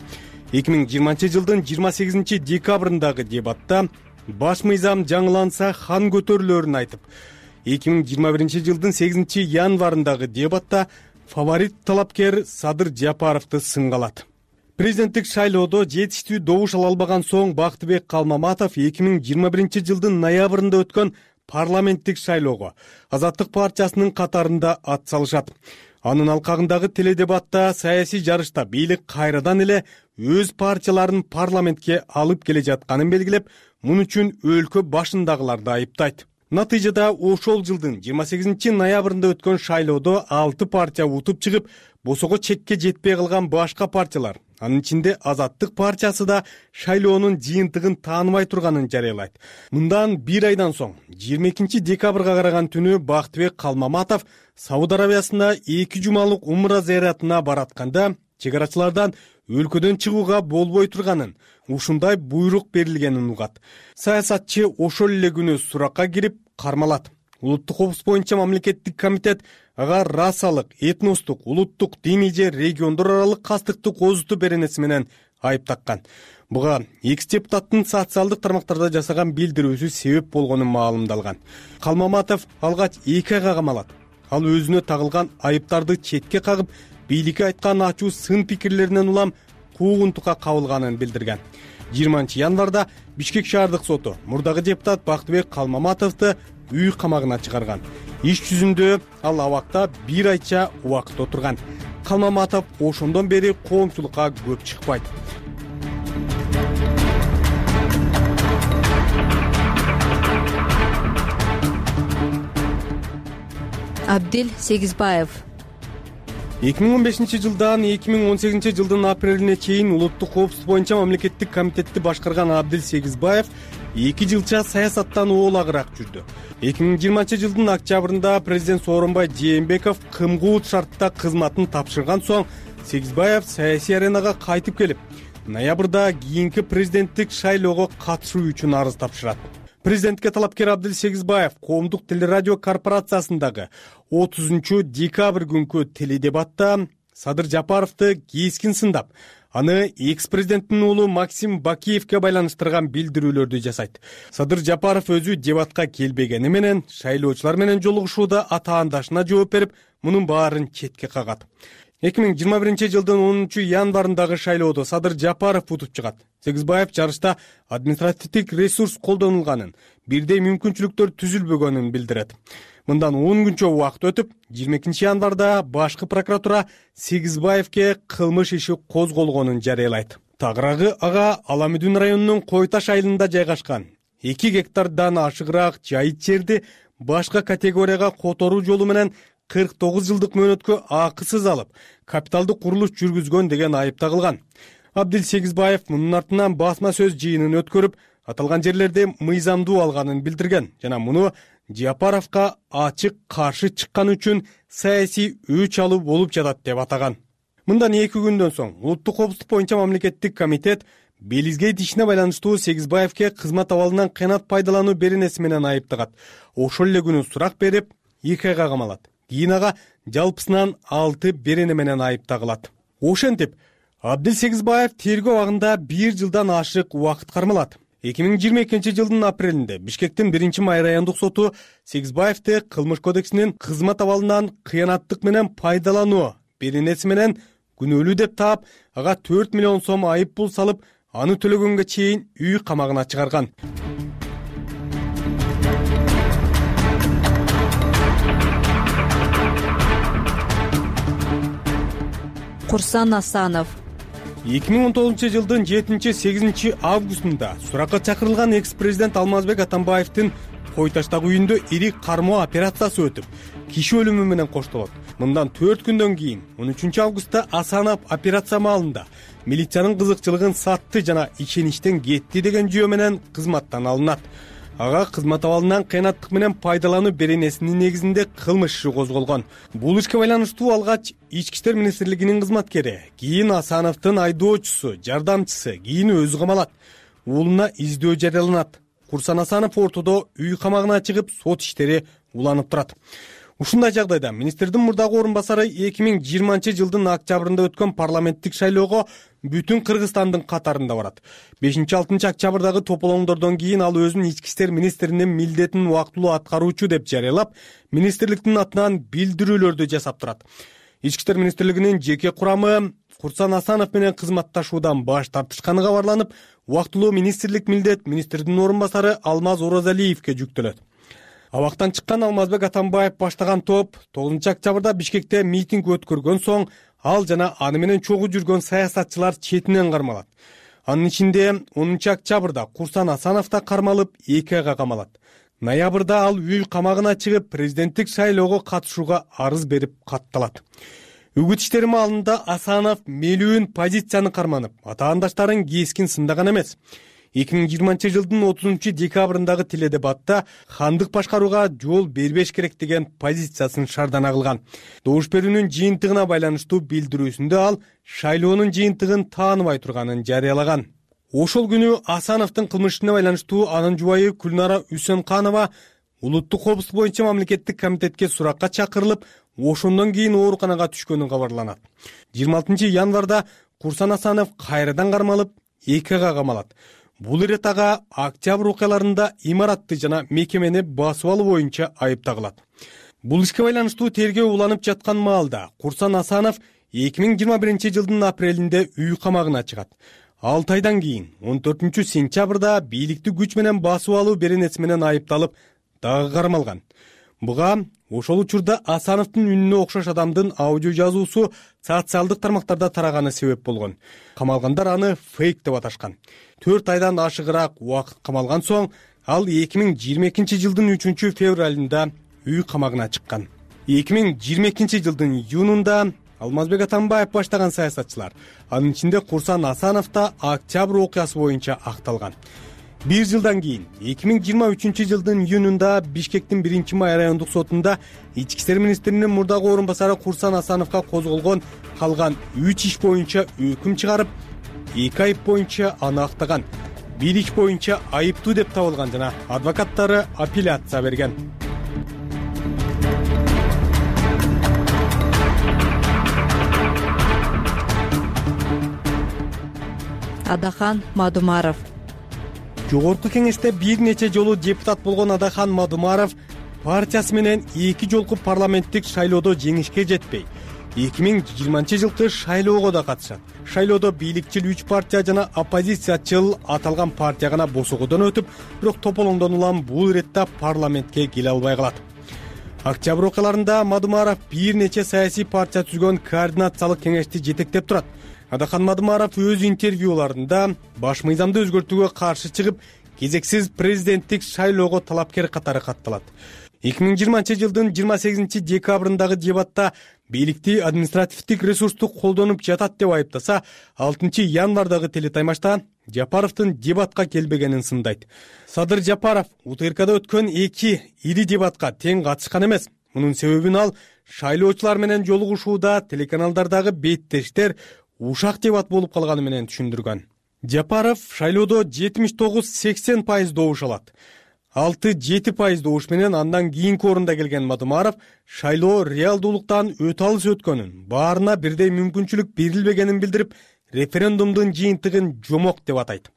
2020 жылдын 28 декабрындагы дебатта баш мыйзам жаңыланса хан көтөрүлөрүн айтып, 2021 жылдын 8 январындагы дебатта фаворит талапкер Садыр Жапаровду сынга алат. Президенттик шайлоодо жетиштүү добуш ала албаган соң Бактыбек Калмаматов 2021 жылдын ноябрында өткөн парламенттик шайлоого Азаттык партиясынын катарында ат салышат. Анын алкагындагы теледебатта саясий жарышта бийлик кайрадан эле өз партияларын парламентке алып келе жатканын белгилеп, муну үчүн өлкө башындагыларды айыптайт. Натыйжада ошол жылдын 28 ноябрында өткөн шайлоодо 6 партия утуп чыгып, босого чекке жетпей калган башка партиялар, анын ичинде Азаттык партиясы да шайлоонун жыйынтыгын тааныбай турганын жарыялайт. Мындан 1 айдан соң 22 декабрга караган түнү Бактыбек Калмаматов Сауд Арабиясына 2 жумалык умра зыяратына баратканда чек арачылардан өлкөдөн чыгууга болбой турганын, ушундай буйрук берилгенин угат. Саясатчы ошол эле күнү суракка кирип кармалат. Улуттук коопсуздук боюнча мамлекеттик комитет ага расалык, этностук, улуттук, диний же региондор аралык кастыкты козутуу беренеси менен айып таккан. Буга экс депутаттын социалдык тармактарда жасаган билдирүүсү себеп болгону маалымдалган. Калмаматов алгач 2 айга камалат. Ал өзүнө тагылган айыптарды четке кагып, бийликке айткан ачуу сын пикирлеринен улам куугунтукка кабылганын билдирген. 20 январда Бишкек шаардык соту мурдагы депутат Бактыбек Калмаматовду үй камагына чыгарган. Иш жүзүндө ал абакта 1 айча убакыт отурган. Калмаматов ошондон бери коомчулукка көп чыкпайт. Абдил Сегизбаев 2015 жылдан 2018 жылдын апрелине чейин улуттук коопсуздук боюнча мамлекеттик комитетти башкарган Абдил Сегизбаев 2 жылча саясаттан оолагыраак жүрдү. 2020 жылдын октябрында президент Сооронбай Жээнбеков кымгуут шартта кызматын тапшырган соң Сегизбаев саясий аренага кайтып келип, ноябрда кийинки президенттик шайлоого катышуу үчүн арыз тапшырат. Президентке талапкер Абдил Сегизбаев коомдук телерадио корпорациясындагы 30 декабрь күнкү теледебатта Садыр Жапаровду кескин сындап, аны экс-президенттин уулу Максим Бакиевке байланыштырган билдирүүлөрдү жасайт. Садыр Жапаров өзү дебатка келбегени менен шайлоочулар менен жолугушууда атаандашына жооп берип, мунун баарын четке кагат. 2021 жылдын 10 январындагы шайлоодо Садыр Жапаров утуп чыгат. Сегизбаев жарышта административдик ресурс колдонулганын, бирдей мүмкүнчүлүктөр түзүлбөгөнүн билдирет. Мындан 10 күнчө убакыт өтүп, 22 январда башкы прокуратура Сегизбаевке кылмыш иши козголгонун жарыялайт. Тагыраагы ага Аламүдүн районунун Кой Таш айылында жайгашкан 2 гектардан ашыгыраак жайыт жерди башка категорияга которуу жолу менен 49 жылдык мөөнөткө акысыз алып, капиталдык курулуш жүргүзгөн деген айып тагылган. Абдил Сегизбаев мунун артынан басма сөз жыйынын өткөрүп, аталган жерлерде мыйзамдуу алганын билдирген жана муну Жапаровго ачык каршы чыккан үчүн саясий өч алуу болуп жатат деп атаган. Мындан 2 күндөн соң улуттук коопсуздук боюнча мамлекеттик комитет Белизгейт ишине байланыштуу Сегизбаевке кызмат абалынан кыянат пайдалануу беренеси менен айыптагат. Ошол эле күнү сурак берип, 2 айга камалат. Кийин ага жалпысынан 6 берене менен айып тагылат. Ошентип, Абдил Сегизбаев тергөө абагында 1 жылдан ашык убакыт кармалат. 2022 жылдын апрелинде Бишкектин 1-май райондук соту Сегизбаевди кылмыш кодексинин кызмат абалынан кыянаттык менен пайдалануу беренеси менен күнөөлүү деп таап, ага 4 миллион сом айып пул салып, аны төлөгөнгө чейин үй камагына чыгарган. Курсан Асанов. 2019 жылдын 7-8 августунда суракка чакырылган экс-президент Алмазбек Атамбаевдин Кой Таштагы үйүндө ири кармоо операциясы өтүп, киши өлүмү менен коштолот. Мындан 4 күндөн кийин 13 августта Асанов операция маалында милициянын кызыкчылыгын сатты жана ишеничтен кетти деген жүйө менен кызматтан алынат. Ага кызмат абалынан кыянаттык менен пайдалануу беренесинин негизинде кылмыш иши козголгон. Бул ишке байланыштуу алгач Ички иштер министрлигинин кызматкери, кийин Асановдун айдоочусу, жардамчысы, кийин өзү камалат. Уулуна издөө жарыяланат. Курсан Асанов ортодо үй камагына чыгып, сот иштери уланып турат. Ушундай жагдайда министрдин мурдагы орун басары 2020 жылдын октябрында өткөн парламенттик шайлоого бүтүн Кыргызстандын катарында барат. 5-6 октябрдагы тополоңдордон кийин ал өзүнүн ички иштер министринин милдетин убактылуу аткаруучу деп жарыялап, министрликтин атынан билдирүүлөрдү жасап турат. Ички иштер министрлигинин жеке курамы Курсан Асанов менен кызматташуудан баш тартышканы кабарланып, убактылуу министрлик милдет министрдин орун басары Алмаз Оразалиевге жүктөлөт. Абактан чыккан Алмазбек Атамбаев баштаган топ 9 октябрда Бишкекте митинг өткөргөн соң ал жана аны менен чогуу жүргөн саясатчылар четинен кармалат. Анын ичинде 10 октябрда Курсан Асанов да кармалып, 2 айга камалат. Ноябрда ал үй камагына чыгып, президенттик шайлоого катышууга арыз берип катталат. Үгүт иштери маалында Асанов мелүүн позицияны карманып, атаандаштарын кескин сындаган эмес. 2020 жылдын 30 декабрындагы теледебатта хандык башкарууга жол бербеш керек деген позициясын шардана кылган. Добуш берүүнүн жыйынтыгына байланыштуу билдирүүсүндө ал шайлоонун жыйынтыгын тааныбай турганын жарыялаган. Ошол күнү Асановдун кылмышына байланыштуу анын жубайы Күлнара Үсөнканова улуттук коопсуздук боюнча мамлекеттик комитетке суракка чакырылып, ошондон кийин ооруканага түшкөнү кабарланат. 26 январда Курсан Асанов кайрадан кармалып, 2 айга камалат. Бул ирет ага октябрь окуяларында имаратты жана мекемени басып алуу боюнча айыпталат. Бул ишке байланыштуу тергөө уланып жаткан маалда Курсан Асанов 2021 жылдын апрелинде үй камагына чыгат. 6 айдан кийин 14 сентябрда бийликти күч менен басып алуу беренеси менен айыпталып, дагы кармалган. Буга ошол учурда Асановдун үнүнө окшош адамдын аудио жазуусу социалдык тармактарда тараганы себеп болгон. Камалгандар аны фейк деп аташкан. 4 айдан ашыгыраак убакыт камалган соң ал 2022 жылдын 3 февралында үй камагына чыккан. 2022 жылдын июнунда Алмазбек Атамбаев баштаган саясатчылар, анын ичинде Курсан Асанов да октябрь окуясы боюнча акталган. 1 жылдан кийин 2023 жылдын июнунда Бишкектин 1-май райондук сотунда ички иштер министринин мурдагы орун басары Курсан Асановго козголгон калган 3 иш боюнча өкүм чыгарып, 2 айып боюнча аны актаган, 1 иш боюнча айыптуу деп табылган жана адвокаттары апелляция берген. Адахан Мадумаров. Жогорку кеңеште бир нече жолу депутат болгон Адахан Мадумаров партиясы менен 2 жолку парламенттик шайлоодо жеңишке жетпей, 2020 жылкы шайлоого да катышат. Шайлоодо бийликчил 3 партия жана оппозициячыл аталган партия гана босогодон өтүп, бирок тополоңдон улам бул иретте парламентке келе албай калат. Октябрь окуяларында Мадумаров бир нече саясий партия түзгөн координациялык кеңешти жетектеп турат. Адахан Мадумаров өз интервьюларында баш мыйзамды өзгөртүүгө каршы чыгып, кезексиз президенттик шайлоого талапкер катары катталат. 2020 жылдын 28 декабрындагы дебатта бийликти административдик ресурсту колдонуп жатат деп айыптаса, 6 январдагы телетаймашта Жапаровдун дебатка келбегенин сындайт. Садыр Жапаров УТРКда өткөн 2 ири дебатка тең катышкан эмес. Мунун себебин ал шайлоочулар менен жолугушууда телеканалдардагы беттештер ушак дебат болуп калганы менен түшүндүргөн. Жапаров шайлоодо 79-80% добуш алат. 6-7% добуш менен андан кийинки орунда келген Мадумаров шайлоо реалдуулуктан өтө алыс өткөнүн, баарына бирдей мүмкүнчүлүк берилбегенин билдирип, референдумдун жыйынтыгын жомок деп атайт.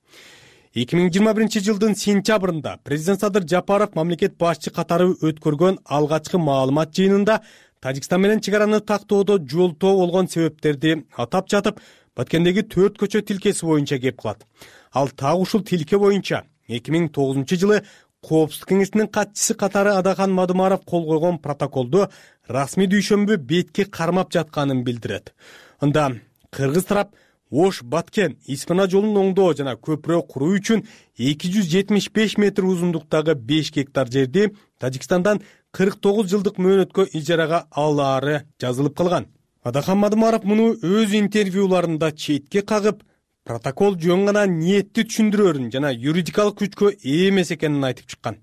2021 жылдын сентябрында президент Садыр Жапаров мамлекет башчы катары өткөргөн алгачкы маалымат жыйынында Тажикстан менен чек араны тактоодо жолтоо болгон себептерди атап жатып, Баткендеги 4 көчө тилкеси боюнча кеп кылат. Ал так ушул тилке боюнча 2009 жылы Коопсуздук кеңесинин катчысы катары Адахан Мадумаров кол койгон протоколду расмий дүйшөмбү бетке кармап жатканын билдирет. Анда кыргыз тарап Ош Баткен Испана жолун оңдоо жана көпүрө куруу үчүн 275 метр узундуктагы 5 гектар жерди Тажикстандан 49 жылдык мөөнөткө ижарага алаары жазылып калган. Адахан Мадымаров муну өз интервьюларында четке кагып, протокол жөн гана ниетти түшүндүрөрүн жана юридикалык күчкө ээ эмес экенин айтып чыккан.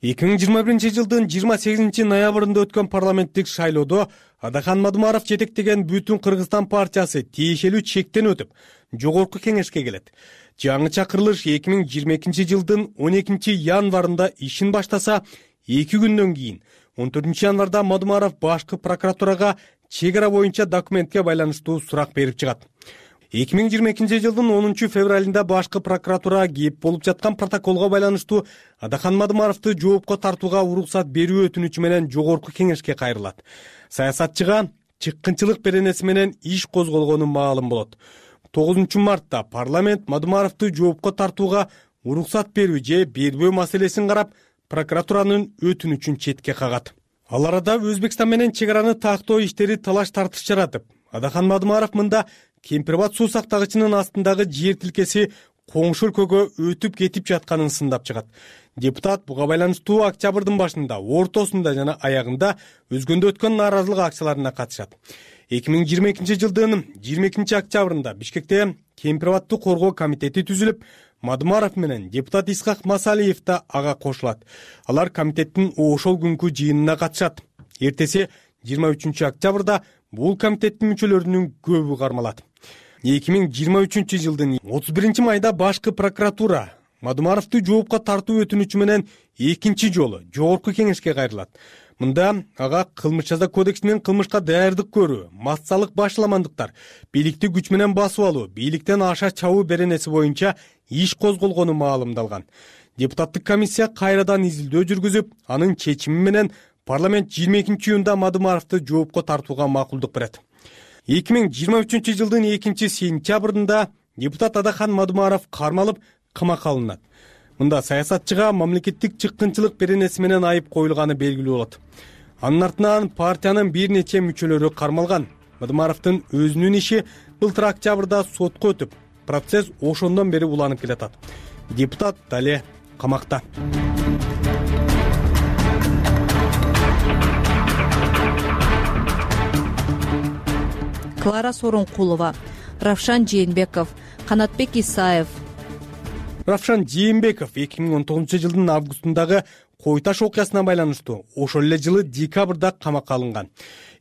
2021 жылдын 28 ноябрында өткөн парламенттик шайлоодо Адахан Мадымаров жетектеген Бүтүн Кыргызстан партиясы тиешелүү чектен өтүп, жогорку кеңешке келет. Жаңыча кырылыш 2022 жылдын 12 январында ишин баштаса, 2 күндөн кийин 14 январда Мадымаров башкы прокуратурага чек ара боюнча документке байланыштуу сурак берип чыгат. 2022 жылдын 10 февралында башкы прокуратура кеп болуп жаткан протоколго байланыштуу Адахан Мадымаровду жоопко тартууга уруксат берүү өтүнүчү менен жогорку кеңешке кайрылат. Саясатчыга чыккынчылык беренеси менен иш козголгону маалым болот. 9 мартта парламент Мадымаровду жоопко тартууга уруксат берүү же бербөө маселесин карап, прокуратуранын өтүнүчүн четке кагат. Ал арада Өзбекстан менен чек араны тактоо иштери талаш тартыш жаратып, Адахан Мадымаров мында Кемпирбат суу сактагычынын астындагы жер тилкеси коңшу өлкөгө өтүп кетип жатканын сындап чыгат. Депутат буга байланыштуу октябрдын башында, ортосунда жана аягында өзгөндө өткөн нааразылык акцияларына катышат. 2022 жылдын 22 октябрында Бишкекте Кемпирбатты коргоо комитети түзүлүп, Мадымаров менен депутат Исхак Масалиев да ага кошулат. Алар комитеттин ошол күнкү жыйынына катышат. Эртеси 23 октябрда бул комитеттин мүчөлөрүнүн көбү кармалат. 2023 жылдын 31 майда башкы прокуратура Мадымаровду жоопко тартуу өтүнүчү менен экинчи жолу жогорку кеңешке кайрылат. Мында ага кылмыш жаза кодексинин кылмышка даярдык көрүү, массалык башаламандыктар, бийликти күч менен басып алуу, бийликтен аша чабуу беренеси боюнча иш козголгону маалымдалган. Депутаттык комиссия кайрадан изилдөө жүргүзүп, анын чечими менен парламент 22 июнда Мадымаровду жоопко тартууга макулдук берет. 2023 жылдын 2 сентябрында депутат Адахан Мадымаров кармалып, камакка алынат. Мында саясатчыга мамлекеттик чыккынчылык беренеси менен айып коюлганы белгилүү болот. Анын артынан партиянын бир нече мүчөлөрү кармалган. Мадымаровдун өзүнүн иши былтыр октябрда сотко өтүп, процесс ошондон бери уланып келатат. Депутат дале камакта. Клара Сооронкулова, Равшан Жээнбеков, Канатбек Исаев. Равшан Жээнбеков 2019 жылдын августундагы Кой Таш окуясына байланыштуу ошол эле жылы декабрда камакка алынган.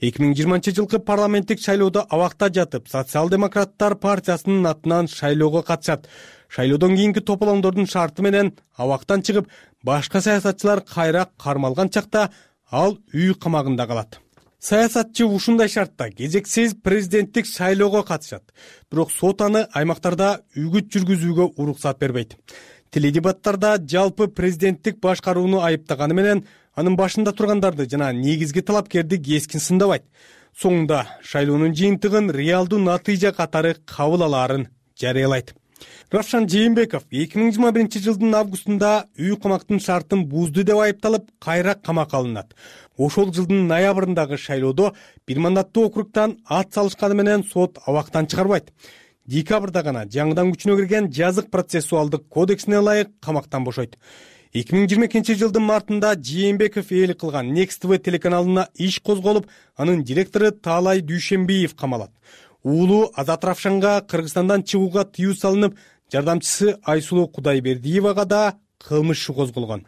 2020 жылкы парламенттик шайлоодо абакта жатып, Социал-демократтар партиясынын атынан шайлоого катышат. Шайлоодон кийинки тополоңдордун шарты менен абактан чыгып, башка саясатчылар кайра кармалган чакта ал үй камагында калат. Саясатчы ушундай шартта кезексиз президенттик шайлоого катышат. Бирок сот аны аймактарда үгүт жүргүзүүгө уруксат бербейт. Теледебаттарда жалпы президенттик башкарууну айыптаганы менен анын башында тургандарды жана негизги талапкерди кескин сындабайт. Соңунда шайлоонун жыйынтыгын реалдуу натыйжа катары кабыл алаарын жарыялайт. Равшан Жээнбеков 2021 жылдын августунда үй камактын шартын бузду деп айыпталып, кайра камакка алынат. Ошол жылдын ноябрындагы шайлоодо бир мандаттуу округтан ат салышканы менен сот абактан чыгарбайт. Декабрда гана жаңыдан күчүнө кирген жазык процессуалдык кодексине ылайык камактан бошойт. 2022 жылдын мартында Жээнбеков ээлик кылган Next TV телеканалына иш козголуп, анын директору Таалай Дүйшенбиев камалат. Уулу Азат Равшанга Кыргызстандан чыгууга тыюу салынып, жардамчысы Айсулуу Кудайбердиевага да кылмыш иши козголгон.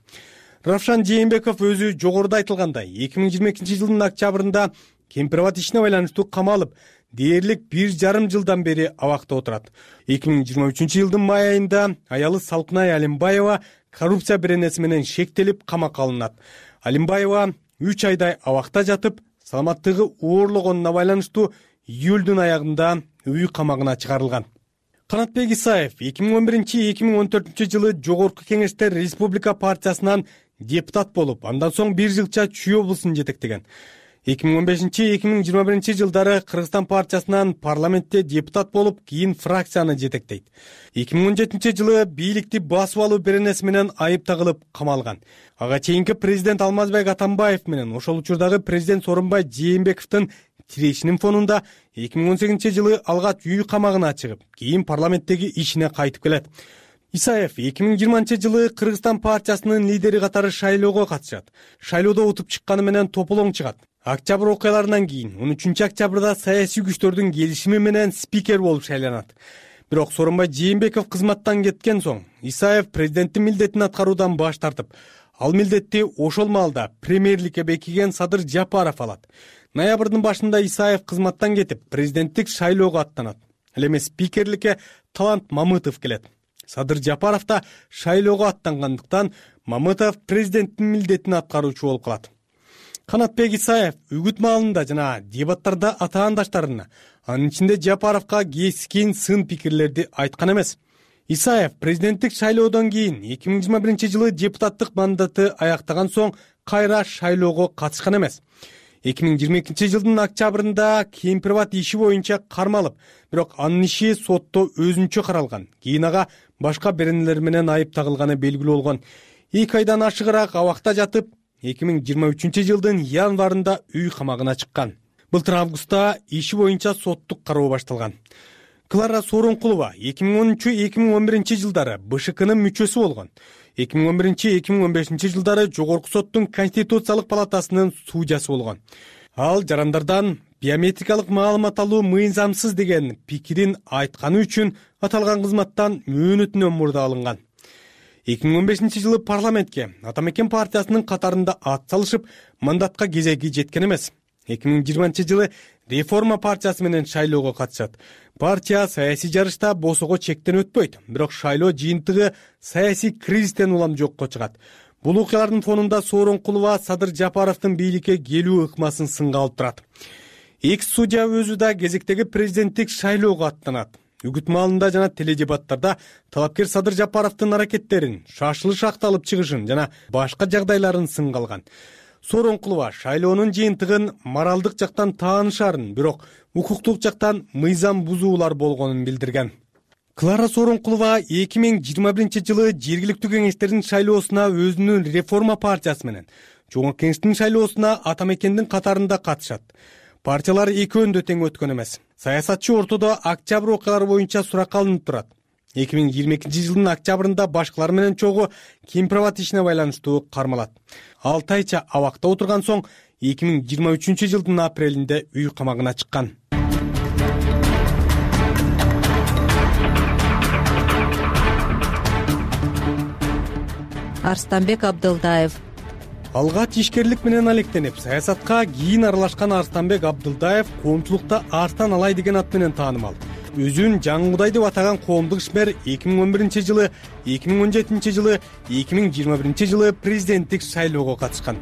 Равшан Жээнбеков өзү жогоруда айтылгандай 2022 жылдын октябрында Кемпирбат ишине байланыштуу камалып, дээрлик 1,5 жылдан бери абакта отурат. 2023 жылдын май айында аялы Салкынай Алимбаева коррупция беренеси менен шектелип камакка алынат. Алимбаева 3 айдай абакта жатып, саламаттыгы оорлогонуна байланыштуу июлдун аягында үй камагына чыгарылган. Канатбек Исаев 2011-2014 жылы жогорку кеңеште Республика партиясынан депутат болуп, андан соң 1 жылча Чүй облусун жетектеген. 2015-2021 жылдары Кыргызстан партиясынан парламентте депутат болуп, кийин фракцияны жетектейт. 2017 жылы бийликти басып алуу беренеси менен айып тагылып камалган. Ага чейинки президент Алмазбек Атамбаев менен ошол учурдагы президент Сооронбай Жээнбековдун тирешинин фонунда 2018-жылы алгач үй камагына чыгып, кийин парламенттеги ишине кайтып келет. Исаев 2020-жылы Кыргызстан партиясынын лидери катары шайлоого катышат. Шайлоодо утуп чыкканы менен тополоң чыгат. Октябрь окуяларынан кийин 13 октябрда саясий күчтөрдүн келишими менен спикер болуп шайланат. Бирок Сооронбай Жээнбеков кызматтан кеткен соң Исаев президенттин милдетин аткаруудан баш тартып, ал милдетти ошол маалда премьерликке бекиген Садыр Жапаров алат. Ноябрдын башында Исаев кызматтан кетип, президенттик шайлоого аттанат. Ал эми спикерликке Талант Мамытов келет. Садыр Жапаров да шайлоого аттангандыктан Мамытов президенттин милдетин аткаруучу болуп калат. Канатбек Исаев үгүт маалында жана дебаттарда атаандаштарына, анын ичинде Жапаровго кескин сын пикирлерди айткан эмес. Исаев президенттик шайлоодон кийин 2021-жылы депутаттык мандаты аяктаган соң кайра шайлоого катышкан эмес. 2022-жылдын октябрында Кемпирбат иши боюнча кармалып, бирок анын иши сотто өзүнчө каралган. Кийин ага башка беренелер менен айып тагылганы белгилүү болгон. 2 айдан ашыгыраак абакта жатып, 2023-жылдын январында үй камагына чыккан. Былтыр августта иши боюнча соттук кароо башталган. Клара Сооронкулова 2013-2011 жылдары БШКнын мүчөсү болгон. 2011-2015 жылдары Жогорку соттун Конституциялык палатасынын судьясы болгон. Ал жарандардан биометрикалык маалымат алуу мыйзамсыз деген пикирин айтканы үчүн аталган кызматтан мөөнөтүнөн мурда алынган. 2015 жылы парламентке Атамекен партиясынын катарында ат салышып, мандатка кезеги жеткен эмес. 2020 жылы Реформа партиясы менен шайлоого катышат. Партия саясий жарышта босого чектен өтпөйт, бирок шайлоо жыйынтыгы саясий кризистен улам жокко чыгат. Бул окуялардын фонунда Сооронкулова Садыр Жапаровдун бийликке келүү ыкмасын сынга алып турат. Экс-судья өзү да кезектеги президенттик шайлоого аттанат. Үгүт маалында жана теледебаттарда талапкер Садыр Жапаровдун аракеттерин, шашылыш акталып чыгышын жана башка жагдайларын сынга алган. Сооронкулова шайлоонун жыйынтыгын моралдык жактан таанышарын, бирок укуктук жактан мыйзам бузуулар болгонун билдирген. Клара Сооронкулова 2021 жылы жергиликтүү кеңештердин шайлоосуна өзүнүн Реформа партиясы менен, Жогорку кеңештин шайлоосуна Атамекендин катарында катышат. Партиялар экөөндө тең өткөн эмес. Саясатчы ортодо октябрь окуялары боюнча суракка алынып турат. 2022 жылдын октябрында башкалар менен чогуу Кемпирбат ишине байланыштуу кармалат. 6 айча абакта отурган соң 2023 жылдын апрелинде үй камагына чыккан. Арстанбек Абдылдаев. Алгач ишкерлик менен алектенип, саясатка кийин аралашкан Арстанбек Абдылдаев коомчулукта Арстан Алай деген ат менен таанымал. Өзүн Жаңгудай деп атаган коомдук ишмер 2011 жылы, 2017 жылы, 2021 жылы президенттик шайлоого катышкан.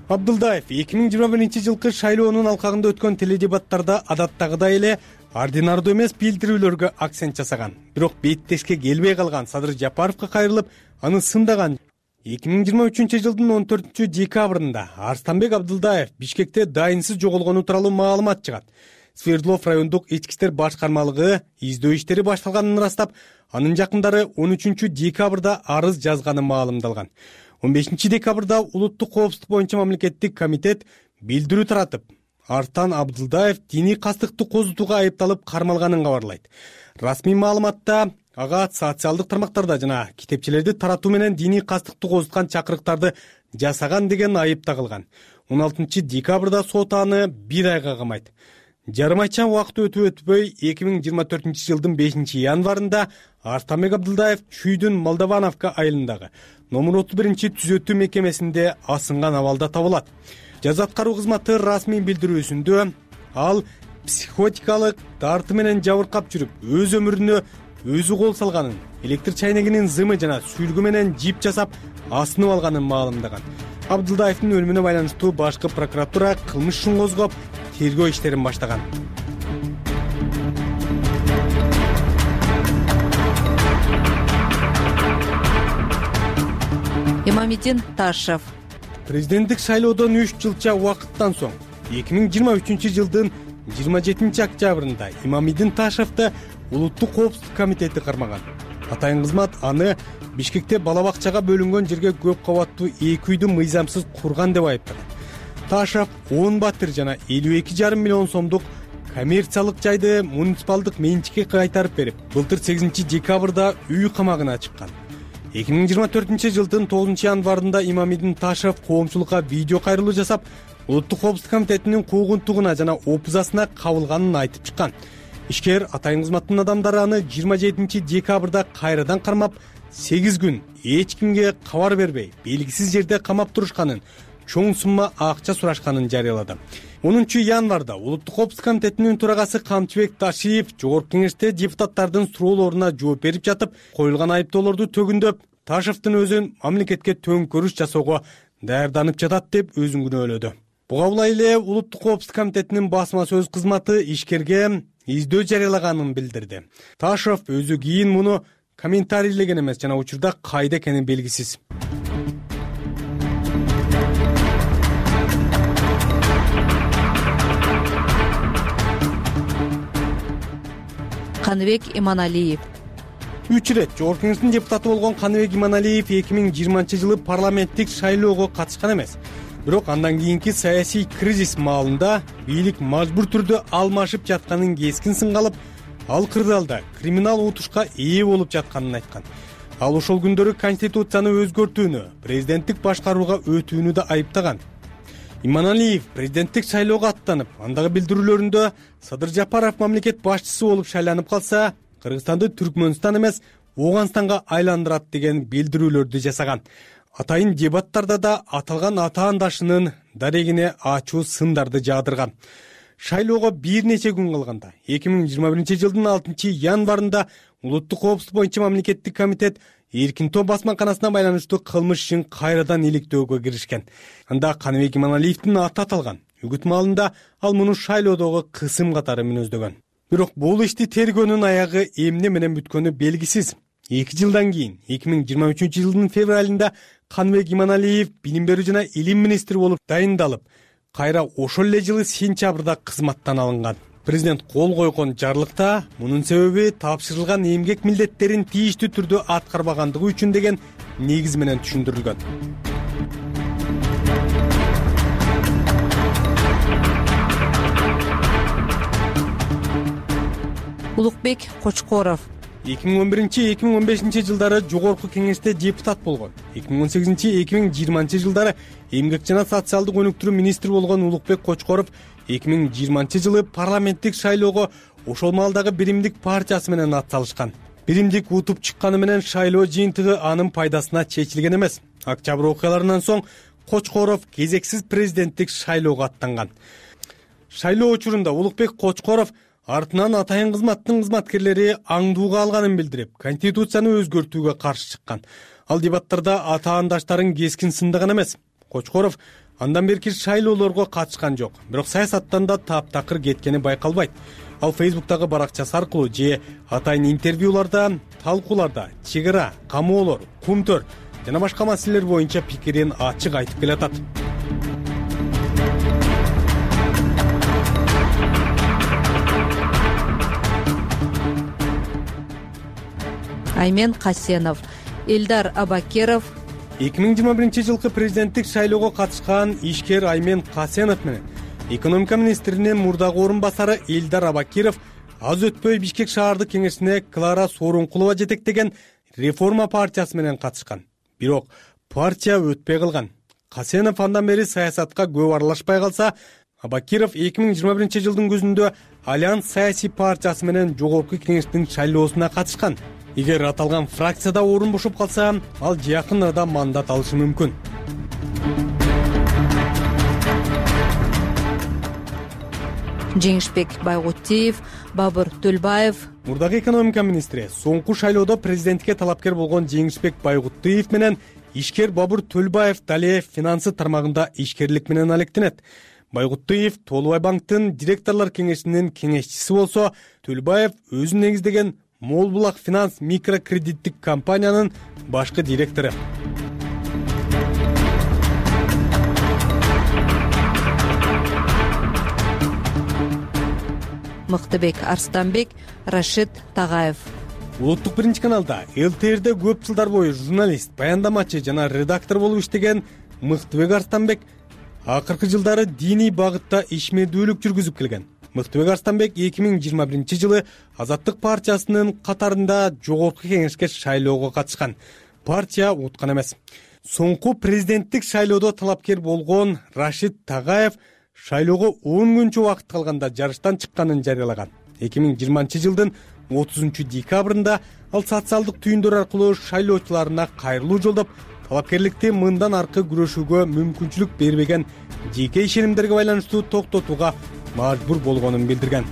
Абдылдаев 2021 жылкы шайлоонун алкагында өткөн теледебаттарда адаттагыдай эле ординардуу эмес билдирүүлөргө акцент жасаган. Бирок беттешке келбей калган Садыр Жапаровго кайрылып, аны сындаган. 2023 жылдын 14 декабрында Арстанбек Абдылдаев Бишкекте дайынсыз жоголгону тууралуу маалымат чыгат. Свердлов райондук ички иштер башкармалыгы издөө иштери башталганын ырастап, анын жакындары 13 декабрда арыз жазганы маалымдалган. 15 декабрда улуттук коопсуздук боюнча мамлекеттик комитет билдирүү таратып, Арстан Абдылдаев диний кастыкты козутууга айыпталып кармалганын кабарлайт. Расмий маалыматта ага социалдык тармактарда жана китепчелерди таратуу менен диний кастыкты козуткан чакырыктарды жасаган деген айып тагылган. 16 декабрда сот аны 1 айга камайт. Жарым айча убакыт өтүп-өтпөй 2024 жылдын 5 январында Арстанбек Абдылдаев Чүйдүн Молдовановка айылындагы номер 31 түзөтүү мекемесинде асынган абалда табылат. Жаза аткаруу кызматы расмий билдирүүсүндө ал психотикалык дарты менен жабыркап жүрүп, өз өмүрүнө өзү кол салганын, электр чайнегинин зымы жана сүлгү менен жип жасап асынып алганын маалымдаган. Абдылдаевдин өлүмүнө байланыштуу башкы прокуратура кылмыш ишин козгоп, тергөө иштерин баштаган. Имамиддин Ташев. Президенттик шайлоодон 3 жылча убакыттан соң 2023 жылдын 27 октябрында Имамиддин Ташевди улуттук коопсуздук комитети кармаган. Атайын кызмат аны Бишкекте бала бакчага бөлүнгөн жерге көп кабаттуу 2 үйдү мыйзамсыз курган деп айыптаган. Ташев 10 батир жана 52,5 миллион сомдук коммерциялык жайды муниципалдык менчикке кайтарып берип, былтыр 8 декабрда үй камагына чыккан. 2024-жылдын 9 январында Имамидин Ташев коомчулукка видео кайрылуу жасап, Улуттук коопсуздук комитетинин куугунтугуна жана опузасына кабылганын айтып чыккан. Ишкер атайын кызматтын адамдары аны 27 декабрда кайрадан кармап, 8 күн эч кимге кабар бербей, белгисиз жерде камап турушканын, чоң сумма акча сурашканын жарыялады. 10 январда Улуттук коопсуздук комитетинин төрагасы Камчыбек Ташиев Жогорку кеңеште депутаттардын суроолоруна жооп берип жатып, коюлган айыптоолорду төгүндөп, Ташевдин өзүн мамлекетке төңкөрүш жасоого даярданып жатат деп өзүн күнөөлөдү. Буга улай эле Улуттук коопсуздук комитетинин басма сөз кызматы ишкерге издөө жарыялаганын билдирди. Ташев өзү кийин муну комментарийлеген эмес жана учурда кайда экени белгисиз. Каныбек Иманалиев. 3 ирет Жогорку кеңештин депутаты болгон Каныбек Иманалиев 2020-жылы парламенттик шайлоого катышкан эмес. Бирок андан кийинки саясий кризис маалында бийлик мажбур түрдө алмашып жатканын кескин сынга алып, ал кырдаалда криминал утушка ээ болуп жатканын айткан. Ал ошол күндөрү конституцияны өзгөртүүнү, президенттик башкарууга өтүүнү да айыптаган. Иманалиев президенттик шайлоого аттанып, андагы билдирүүлөрүндө Садыр Жапаров мамлекет башчысы болуп шайланып калса, Кыргызстанды Түркмөнстан эмес, Ооганстанга айландырат деген билдирүүлөрдү жасаган. Атайын дебаттарда да аталган атаандашынын дарегине ачуу сындарды жаадырган. Шайлоого бир нече күн калганда 2021-жылдын 6 январында Улуттук коопсуздук боюнча мамлекеттик комитет Эркин топ басмаканасына байланыштуу кылмыш ишин кайрадан иликтөөгө киришкен. Анда Каныбек Иманалиевдин аты аталган. Үгүт маалында ал муну шайлоодогу кысым катары мүнөздөгөн. Бирок бул ишти тергөөнүн аягы эмне менен бүткөнү белгисиз. 2 жылдан кийин 2023-жылдын февралында Каныбек Иманалиев билим берүү жана илим министри болуп дайындалып, кайра ошол эле жылы сентябрда кызматтан алынган. Президент кол койгон жарлыкта мунун себеби тапшырылган эмгек милдеттерин тийиштүү түрдө аткарбагандыгы үчүн деген негиз менен түшүндүрүлгөн. Улукбек Кочкоров. 2011-2015 жылдары Жогорку кеңеште депутат болгон. 2018-2020 жылдары эмгек жана социалдык өнүктүрүү министри болгон Улукбек Кочкоров 2020 жылы парламенттик шайлоого ошол маалдагы Биримдик партиясы менен ат салышкан. Биримдик утуп чыкканы менен шайлоо жыйынтыгы анын пайдасына чечилген эмес. Октябрь окуяларынан соң Кочкоров кезексиз президенттик шайлоого аттанган. Шайлоо учурунда Улукбек Кочкоров артынан атайын кызматтын кызматкерлери аңдууга алганын билдирип, конституцияны өзгөртүүгө каршы чыккан. Ал дебаттарда атаандаштарын кескин сындаган эмес. Кочкоров андан берки шайлоолорго катышкан жок, бирок саясаттан да таптакыр кеткени байкалбайт. Ал Facebook'тагы баракчасы аркылуу же атайын интервьюларда, талкууларда чек ара, камоолор, кумтөр жана башка маселелер боюнча пикирин ачык айтып келатат. Аймен Касенов. Элдар Абакеров. 2021-жылкы президенттик шайлоого катышкан ишкер Аймен Касенов менен экономика министринин мурдагы орун басары Элдар Абакиров аз өтпөй Бишкек шаардык кеңешине Клара Сооронкулова жетектеген реформа партиясы менен катышкан. Бирок партия өтпөй калган. Касенов андан бери саясатка көп аралашпай калса, Абакиров 2021 жылдын күзүндө Альянс саясий партиясы менен Жогорку кеңештин шайлоосуна катышкан. Эгер аталган фракцияда орун бошоп калса, ал жакын арада мандат алышы мүмкүн. Жеңишбек Байгутиев, Бабыр Төлбаев. Мурдагы экономика министри соңку шайлоодо президентке талапкер болгон Жеңишбек Байгутиев менен ишкер Бабыр Төлбаев дале финансы тармагында ишкерлик менен алектенет. Байгутиев Толубай банктын директорлор кеңешинин кеңешчиси болсо, Төлбаев өзүн негиздеген Мол Булак финанс микрокредиттик компаниянын башкы директору. Мыктыбек Арстанбек, Рашид Тагаев. Улуттук биринчи каналда ЛТРде көп жылдар бою журналист, баяндамачы жана редактор болуп иштеген Мыктыбек Арстанбек акыркы жылдары диний багытта ишмердүүлүк жүргүзүп келген. Мыктыбек Арстанбек 2021 жылы Азаттык партиясынын катарында жогорку кеңешке шайлоого катышкан. Партия уткан эмес. Соңку президенттик шайлоодо талапкер болгон Рашид Тагаев шайлоого 10 күнчө убакыт калганда жарыштан чыкканын жарыялаган. 2020 жылдын 30 декабрында ал социалдык түйүндөр аркылуу шайлоочуларына кайрылуу жолдоп, талапкерликти мындан аркы күрөшүүгө мүмкүнчүлүк бербеген жеке ишенимдерге байланыштуу токтотууга мажбур болгонун билдирген.